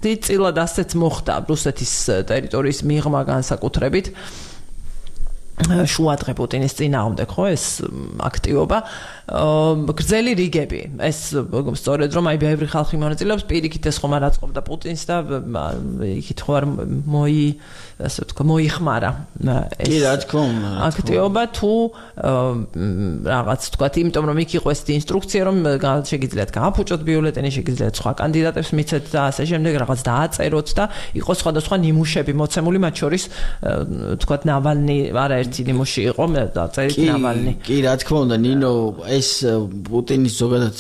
დიდწილად ასეც მოხდა რუსეთის ტერიტორიის მიღმა განსაკუთრებით შუადღე პუტინის წინააღმდეგ ხო ეს აქტიობა გრძელი რიგები ეს სწორედ რომ აი ბევრი ხალხი მონაწილეობს პირიქით ეს ხომ არ აწყობდა პუტინს და იქით ხო არ ასე ვთქვა მოიხმარა ეს კი რა თქმა უნდა აქტიობა თუ რაღაც თქვა იმიტომ რომ იქ იყო ეს ინსტრუქცია რომ შეგიძლიათ გააფუჭოთ ბიულეტენი შეგიძლიათ სხვა კანდიდატებს მიცეთ და ასე შემდეგ რაღაც დააწეროთ და იყო სხვადასხვა ნიმუშები მოცემული მათ შორის თქვა ნავალნი არაერთი ნიმუში იყო დაწერით ნავალნი კი რა თქმა უნდა ნინო ეს პუტინის ზოგადად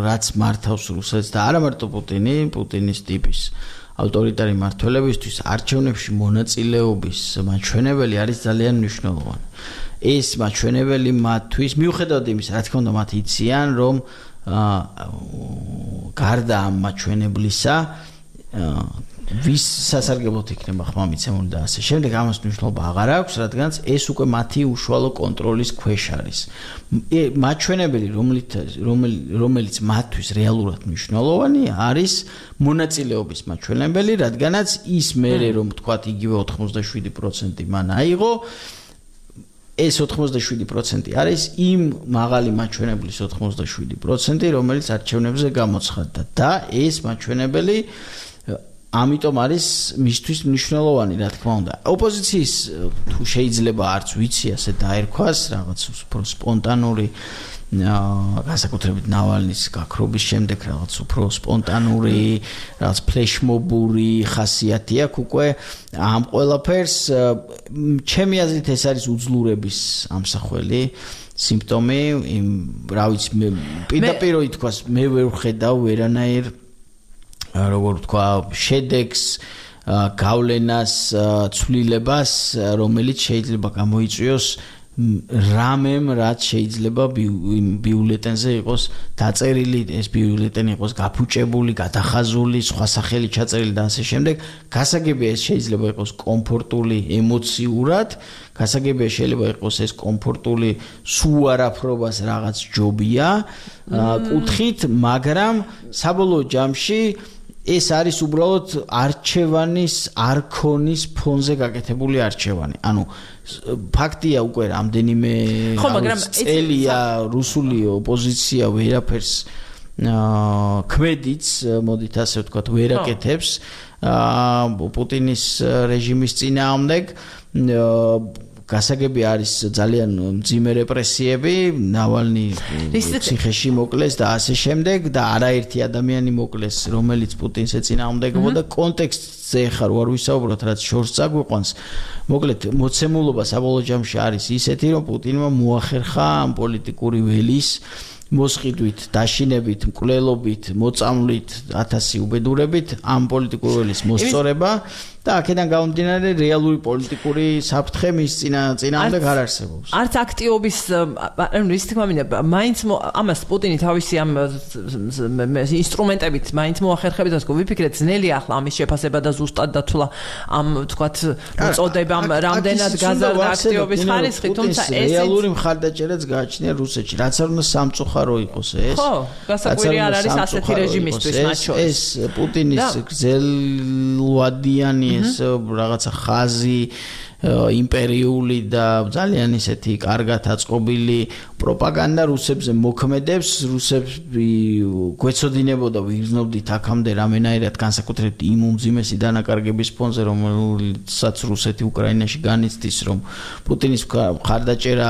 რაც მართავს რუსეთს და არა მარტო პუტინის ტიპის ავტორიტარი მმართველებისთვის არჩევნებში მონაწილეობის მაჩვენებელი არის ძალიან მნიშვნელოვანი. ეს მაჩვენებელი მათთვის მიუხედავად იმისა, რა თქმა უნდა, მათ იციან, რომ გარდა ამ მაჩვენებლისა ვის სასარგებლოდ იქნება ხმამიცემული და ასე შემდეგ ამას მნიშვნელობა აღარ აქვს, რადგანაც ეს უკვე მათი უშუალო კონტროლის ქვეშ არის. მაჩვენებელი, რომელიც მათთვის რეალურად მნიშვნელოვანი არის მონაწილეობის მაჩვენებელი, რადგანაც ის მერე რომ თქვათ იგივე 87% მან აიღო ეს 87% არის იმ მაღალი მაჩვენებლის 87%, რომელიც არჩევნებზე გამოცხადდა და ეს მაჩვენებელი ამიტომ არის მისთვის მნიშვნელოვანი, რა თქმა უნდა. ოპოზიციის თუ შეიძლება არც ვიცი ასე დაერქვას, რაღაც უფრო სპონტანური განსაკუთრებით ნავალნის გაქრობის შემდეგ რაღაც უფრო სპონტანური, რაღაც ფლეშმობური ხასიათი აქვს უკვე ამ ყველაფერს. ჩემი აზრით ეს არის უძლურების ამსახველი სიმპტომი, რა ვიცი, პირდაპირ ითქვას, მე ვერ ვხედავ ვერანაირ როგორ ვთქვა, შედეგს, გავლენას, ცვლილებას, რომელიც შეიძლება გამოიწვიოს რამემ რაც შეიძლება ბიულეტენზე იყოს დაწერილი, ეს ბიულეტენი იყოს გაფუჭებული, გადახაზული, სხვა სახელი ჩაწერილი და ასე შემდეგ. გასაგებია ეს შეიძლება იყოს კომფორტული ემოციურად, გასაგებია შეიძლება იყოს ეს კომფორტული სულ არაფრობას რაღაც ჯობია კუთხით, მაგრამ საბოლოო ჯამში ეს არის უბრალოდ არჩევანის არქონის ფონზე გაკეთებული არჩევანი. ანუ ფაქტია უკვე რამდენიმე წელია რუსული ოპოზიცია ვერაფერს ქმედიც, მოდით ასე ვთქვათ, ვერაკეთებს პუტინის რეჟიმის წინააღმდეგ. გასაგები არის ძალიან მძიმე რეპრესიები, ნავალნი ციხეში მოკლეს და ასე შემდეგ და არაერთი ადამიანი მოკლეს, რომელიც პუტინს ეწინააღმდეგებოდა. კონტექსტზე ხარ ვარ ვისაუბროთ, რაც შორს წაგვიყვანს. მოკლედ, მოცემულობა საბოლოო ჯამში არის ისეთი, რომ პუტინმა მოახერხა ამ პოლიტიკური ველის მოსყიდვით, დაშინებით, მკვლელობით, მოწამვლით, 1000 უბედურებით ამ პოლიტიკური ველის მოსწორება და აქედან გამომდინარე რეალური პოლიტიკური საფრთხე მის წინააღმდეგ არ არსებობს. არც აქტიობის, ანუ ის თქმა მინდა, მაინც ამას პუტინი თავისი ამ ინსტრუმენტებით მაინც მოახერხებდა, თქო, ვიფიქრეთ, ძნელი ახლა ამის შეფასება და ზუსტად დათვლა ამ, ვთქვათ, მოწოდებამ რამდენად გაზარდა აქტიობის ხარისხი, თუმცა ეს რეალური მხარდაჭერაც გააჩნია რუსეთში, რაც არ უნდა სამწუხარო იყოს ეს. ხო, გასაკვირი არ არის ასეთი რეჟიმისთვის მათ შორის. ეს პუტინის გრძელვადიანი ეს რაღაცა ხაზი იმპერიული და ძალიან ისეთი კარგად აწყობილი პროპაგანდა რუსებზე მოქმედებს, რუსები გვეცოდინებოდა ვიგრძნობდით აქამდე რამენაირად განსაკუთრებით იმ უმძიმესი დანაკარგების ფონზე, რომელსაც რუსეთი უკრაინაში განიცდის, რომ პუტინის მხარდაჭერა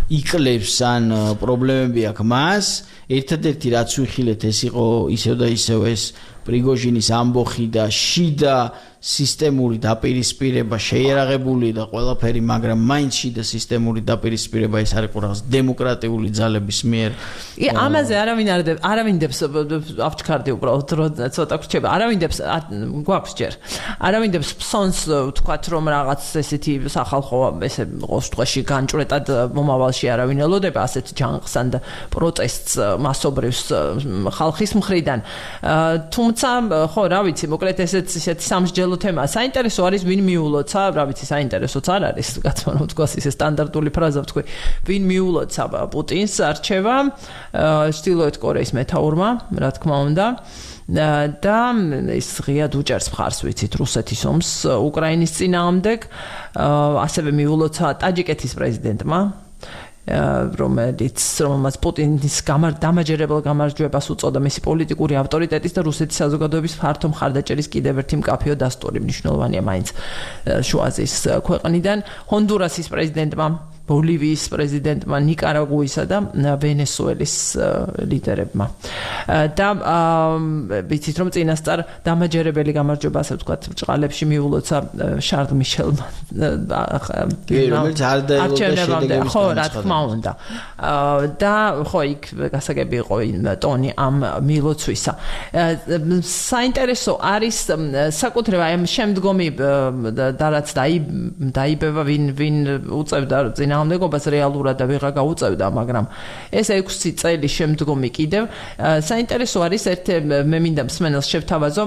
იკლებს ან პრობლემები აქვს მას. ერთადერთი რაც ვიხილეთ ეს იყო ისევ და ისევ ეს პრიგოჟინის ამბოხი და შიდა სისტემური დაპირისპირება შეიარაღებული და ყველაფერი, მაგრამ მაინც შიდა სისტემური დაპირისპირება ეს არის რაღაც დემოკრატიული ძალების მიერ. ამაზე არავინდებს ავჩქარდი უბრალოდ ცოტა ხრჩება. არავინდებს გვაქვს ჯერ. არავინდებს ფსონს ვთქვათ რომ რაღაც ესეთი სახალხო ესე ყოველდღეში განჭრეტად მომავალში არავინ ელოდება ასეთ ჯანყსან და პროტესტს მასობრივს ხალხის მხრიდან. თუმცა ხო რა ვიცი, მოკლედ ესეთი სამსჯელო თემა. საინტერესო არის ვინ მიულოცა, რა ვიცი, საინტერესოც არ არის, კაცო, რომ თქვა ისე სტანდარტული ფრაზა ვთქვი, ვინ მიულოცა პუტინს არჩევა ჩრდილოეთ კორეის მეთაურმა, რა თქმა უნდა. და ის ღიად უჭერს მხარს, ვიცით, რუსეთის ომს უკრაინის წინააღმდეგ, ასევე მიულოცა ტაჯიკეთის პრეზიდენტმა, რომელმაც პუტინის დამაჯერებელ გამარჯვებას უწოდა მისი პოლიტიკური ავტორიტეტის და რუსეთის საზოგადოების ფართო მხარდაჭერის კიდევ ერთი მკაფიო დასტური, მნიშვნელოვანია მაინც შუა აზიის ქვეყნიდან, ჰონდურასის პრეზიდენტმა, ბოლივიის პრეზიდენტმა, ნიკარაგუისა და ვენესუელის ლიდერებმა. და ვიცით რომ წინასწარ დამაჯერებელი გამარჯვება, ასე ვთქვათ, ბრჭყალებში მიულოცა შარლ მიშელმა. რომელიც არ დაელოდა ხო, რა თქმა უნდა. და ხო, იქ გასაგები იყო ტონი ამ მილოცვისა. საინტერესო არის საკუთრება ამ შემდგომი და რაც დაიბევა ვინ უწევდა წინააღმდეგობას რეალურად და ვიღა გაუწევდა, მაგრამ ეს 6 წელი შემდგომი კიდევ საინტერესო არის მე მინდა მსმენელს შევთავაზო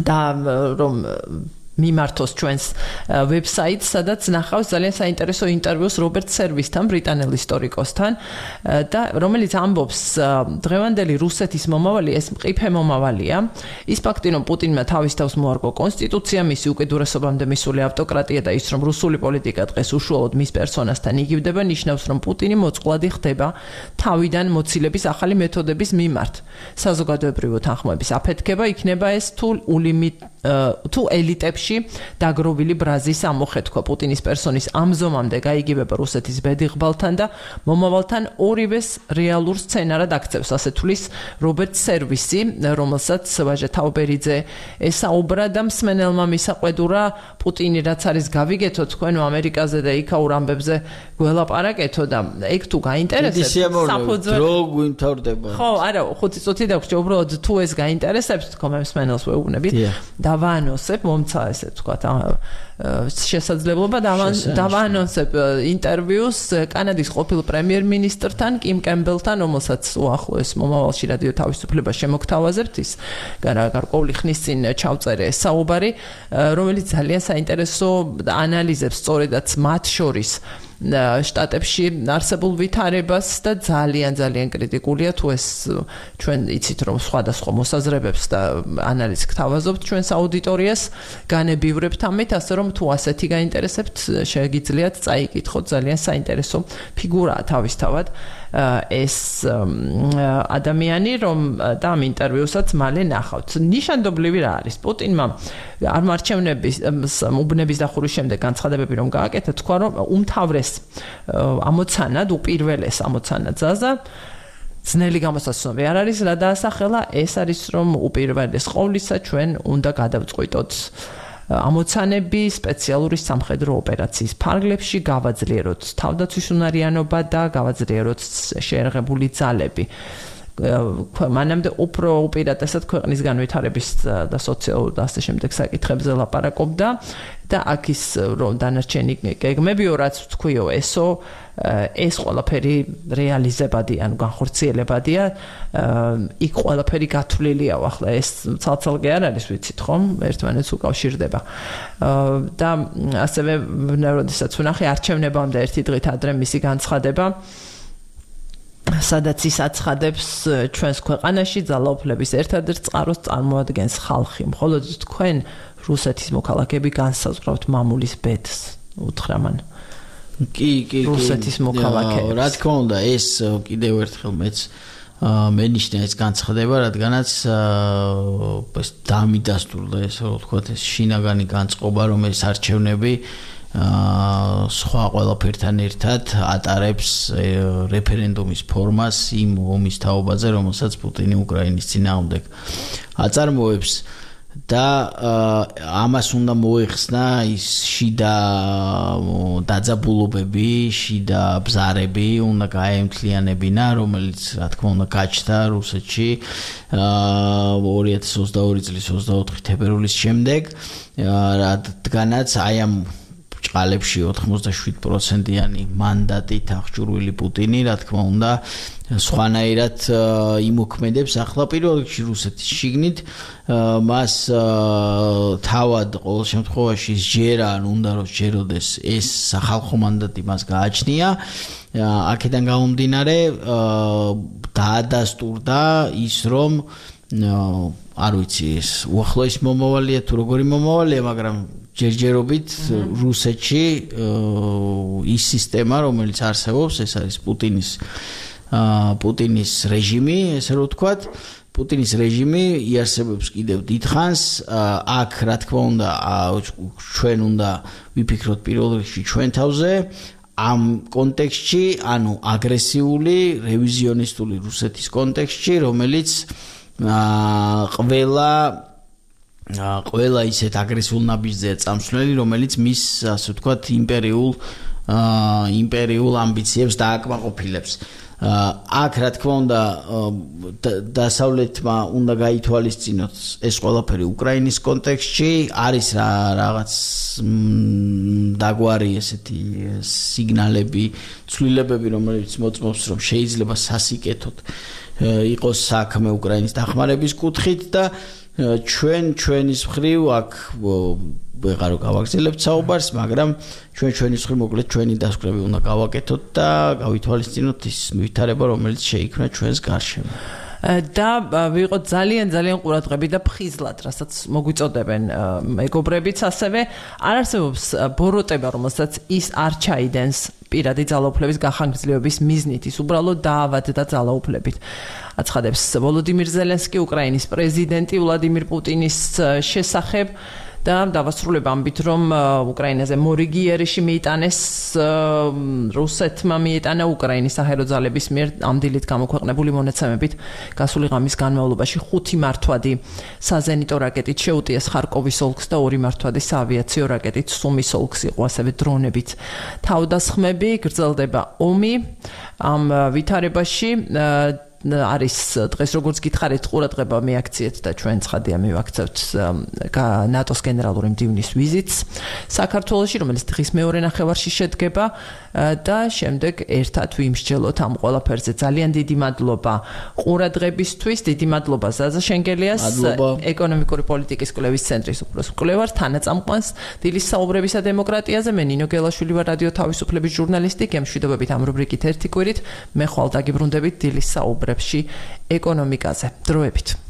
და რომ მიმართოს ჩვენს ვებსაიტს, სადაც ნახავს ძალიან საინტერესო ინტერვიუს რობერტ სერვისთან, ბრიტანელ ისტორიკოსთან და რომელიც ამბობს დღევანდელი რუსეთის მომავალი ეს მყიფე მომავალია. ის ფაქტი, რომ პუტინმა თავის თავს მოარგო კონსტიტუცია, მისი უკიდურესობამდე მისული ავტოკრატია და ის, რომ რუსული პოლიტიკა დღეს უშუალოდ მის პერსონასთან იგივდება, ნიშნავს, რომ პუტინი მოწყვლადი ხდება თავიდან მოცილების ახალი მეთოდების მიმართ. საზოგადოებრივი თანხმოების აფეთქება იქნება ეს თუ ელიტებში დაგროვილი ბრაზის ამოხეთქვა პუტინის პერსონის ამზომამდე გაიგივება რუსეთის ბედიღბალთან და მომავალთან ორივეს რეალურ სცენარად აქცევს, ასე თulis რობერტ სერვისი, რომელსაც ვაჟა თაუბერიძე ესაუბრა და მსმენელმა მისაყვედურა პუტინი რაც არის გავიგეთო თქვენ ამერიკაზე და იქაურ ამბებზე გველაპარაკეთო და ეგ თუ გაინტერესებს საფუძველი დრო გვიმთავრდება. ხო, არა, 5 წუთი დაგვჭირდა უბრალოდ თუ ეს გაინტერესებს თქვენ მსმენელს ვეუბნებით და დავაანონსებ, მომცა ესე ვთქვათ, შესაძლებლობა დავაანონსებ ინტერვიუს კანადის ყოფილ პრემიერ-მინისტრთან, კიმ კემბელთან, რომელსაც უახლოეს მომავალში რადიო თავისუფლება შემოგთავაზებთ, ის გარკვეული ხნის წინ ჩავწერე ეს საუბარი, რომელიც ძალიან საინტერესო ანალიზებს სწორედაც მათ შორის შტატებში არსებულ ვითარებას და ძალიან კრიტიკულია თუ ეს ჩვენ იცით რომ სხვადასხვა მოსაზრებებს და ანალიზს გთავაზობთ ჩვენს აუდიტორიას განებივრებთ ამით ასე რომ თუ ასეთი გაინტერესებთ შეგიძლიათ წაიკითხოთ ძალიან საინტერესო ფიგურაა თავისთავად ეს ადამიანი რომ და ამ ინტერვიუსაც მალე ნახავთ ნიშანდობლივი რა არის პუტინმა არ მარჩევნების უბნების დახურვის შემდეგ განცხადებები რომ გააკეთა თქვა რომ უმთავრეს ამოცანად უპირველეს ამოცანად ზაზა ძნელი გამოსაცნობი არ არის რა დაასახელა ეს არის რომ უპირველეს ყოვლისა ჩვენ უნდა გადავწყვიტოთ ამოცანები სპეციალური სამხედრო ოპერაციის ფარგლებში გავაძლიეროთ თავდაცვის უნარიანობა და გავაძლიეროთ შეერაღებული ძალები მანამდე უფრო უპირატესად ქვეყნის განვითარების და სოციალურ და ასე შემდეგ საკითხებზე ლაპარაკობდა და აქ ის რომ დანარჩენი გეგმებიო რაც თქვიო ესო ეს ყველაფერი რეალიზებადია ანუ განხორციელებადია იქ ყველაფერი გათვლილია ახლა ეს ცალ-ცალკე არ არის ვიცით ხომ ერთმანეთს უკავშირდება და ასევე როდესაც ვნახე არჩევნებამდე ერთი დღით ადრე მისი განცხადება სადაც ის აცხადებს ჩვენს ქვეყანაში ძალაუფლების ერთადერთ წყაროს წარმოადგენს ხალხი მხოლოდ თქვენ რუსეთის მოქალაქეები განსაზღვრავთ მამულის ბედს უთხრა მან კი რუსეთის მოქალაქეებს რა თქმა უნდა ეს კიდევ ერთხელ მეც მენიშნა ეს განცხადება რადგანაც დამიდასტურდა ეს რო ვთქვათ ეს შინაგანი განწყობა რომ ეს არჩევნები სხვა ყველაფერთან ერთად ატარებს რეფერენდუმის ფორმას იმ ომის თაობაზე, რომელსაც პუტინი უკრაინის წინააღმდეგ აწარმოებს და ამას უნდა მოეხსნა ის შიდა დაძაბულობები, შიდა ბზარები უნდა გაემთლიანებინა, რომელიც რა თქმა უნდა გაჩნდა რუსეთში 2022 წლის 24 თებერვლის შემდეგ, რადგანაც აი ამ ჭყალებში 87%-იანი მანდატით აღჭურვილი პუტინი, რა თქმა უნდა, სხვანაირად იმოქმედებს ახლა პირველ რიგში რუსეთის შიგნით, მას თავად ყოველ შემთხვევაში სჯერა, ან უნდა რომ სჯეროდეს ეს სახალხო მანდატი მას გააჩნია. აქედან გამომდინარე, დაადასტურდა ის რომ არ ვიცი ეს უახლოეს მომავალია თუ როგორი მომავალია, მაგრამ ჯერჯერობით რუსეთში ის სისტემა, რომელიც არსებობს, ეს არის პუტინის რეჟიმი, ესე რომ ვთქვათ, პუტინის რეჟიმი იარსებებს კიდევ დიდხანს, აქ რა თქმა უნდა, ჩვენ უნდა ვიფიქროთ პირველ რიგში ჩვენ თავზე, ამ კონტექსტში, ანუ აგრესიული, რევიზიონისტული რუსეთის კონტექსტში, რომელიც ყველა ისეთ აგრესიულ ნაბიჯზეა წამსვლელი, რომელიც მის, ასე ვთქვათ, იმპერიულ ამბიციებს დააკმაყოფილებს. აქ რა თქმა უნდა დასავლეთმა უნდა გაითვალისწინოს ეს ყველაფერი უკრაინის კონტექსტში, არის რაღაც დაგვარი ესეთი სიგნალები, ცვლილებები, რომელიც მოწმობს, რომ შეიძლება სასიკეთოდ იყოს საქმე უკრაინის დახმარების კუთხით და ჩვენის მხრივ აქ ვეღარო გავაგრძელებთ საუბარს, მაგრამ ჩვენის მხრივ მოკლედ ჩვენი დასკვნები უნდა გავაკეთოთ და გავითვალისწინოთ ის ვითარება, რომელიც შეიქმნა ჩვენს გარშემო. და ვიყოთ ძალიან ყურადღები და ფხიზლად, რასაც მოგვიწოდებენ მეგობრებიც ასევე არ არსებობს ბოროტება, რომელსაც ის არ ჩაიდენს პირადი ძალაუფლების გახანგრძლივების მიზნით, ის უბრალოდ დაავადდა ძალაუფლებით. აცხადებს ვოლოდიმირ ზელენსკი, უკრაინის პრეზიდენტი ვლადიმირ პუტინის შესახებ და დავასრულებ ამბით, რომ უკრაინაზე მორიგი იერიში მიიტანეს რუსეთმა მიიტანა უკრაინის საჰაერო ძალების მიერ ამ დილით გამოქვეყნებული მონაცემებით გასული ღამის განმავლობაში 5 მართვადი საზენიტო რაკეტით შეუტიეს ხარკოვის ოლქს და 2 მართვადი საავიაციო რაკეტით სუმის ოლქს იყო ასევე დრონებით თავდასხმები. გრძელდება ომი ამ ვითარებაში არის დღეს როგორც გითხარით ყურადღება მიაქციეთ და ჩვენ ცხადია მივაქცევთ ნატოს გენერალური მდივნის ვიზიტს საქართველოში, რომელიც დღის მეორე ნახევარში შედგება და შემდეგ ერთად ვიმსჯელოთ ამ ყველაფერზე. ძალიან დიდი მადლობა ყურადღებისთვის, დიდი მადლობა ზაზა შენგელიას, ეკონომიკური პოლიტიკის კვლევის ცენტრის უფროს მკვლევარ, თანაწამყვანს დილის საუბრებისა დემოკრატიაზე. მე ნინო გელაშვილი ვარ, რადიო თავისუფლების ჟურნალისტი. გემშვიდობებით ამ რუბრიკით ერთი კვირით. მე ხვალ დაგიბრუნდებით დილის საუბრებში ეკონომიკაზე. დროებით.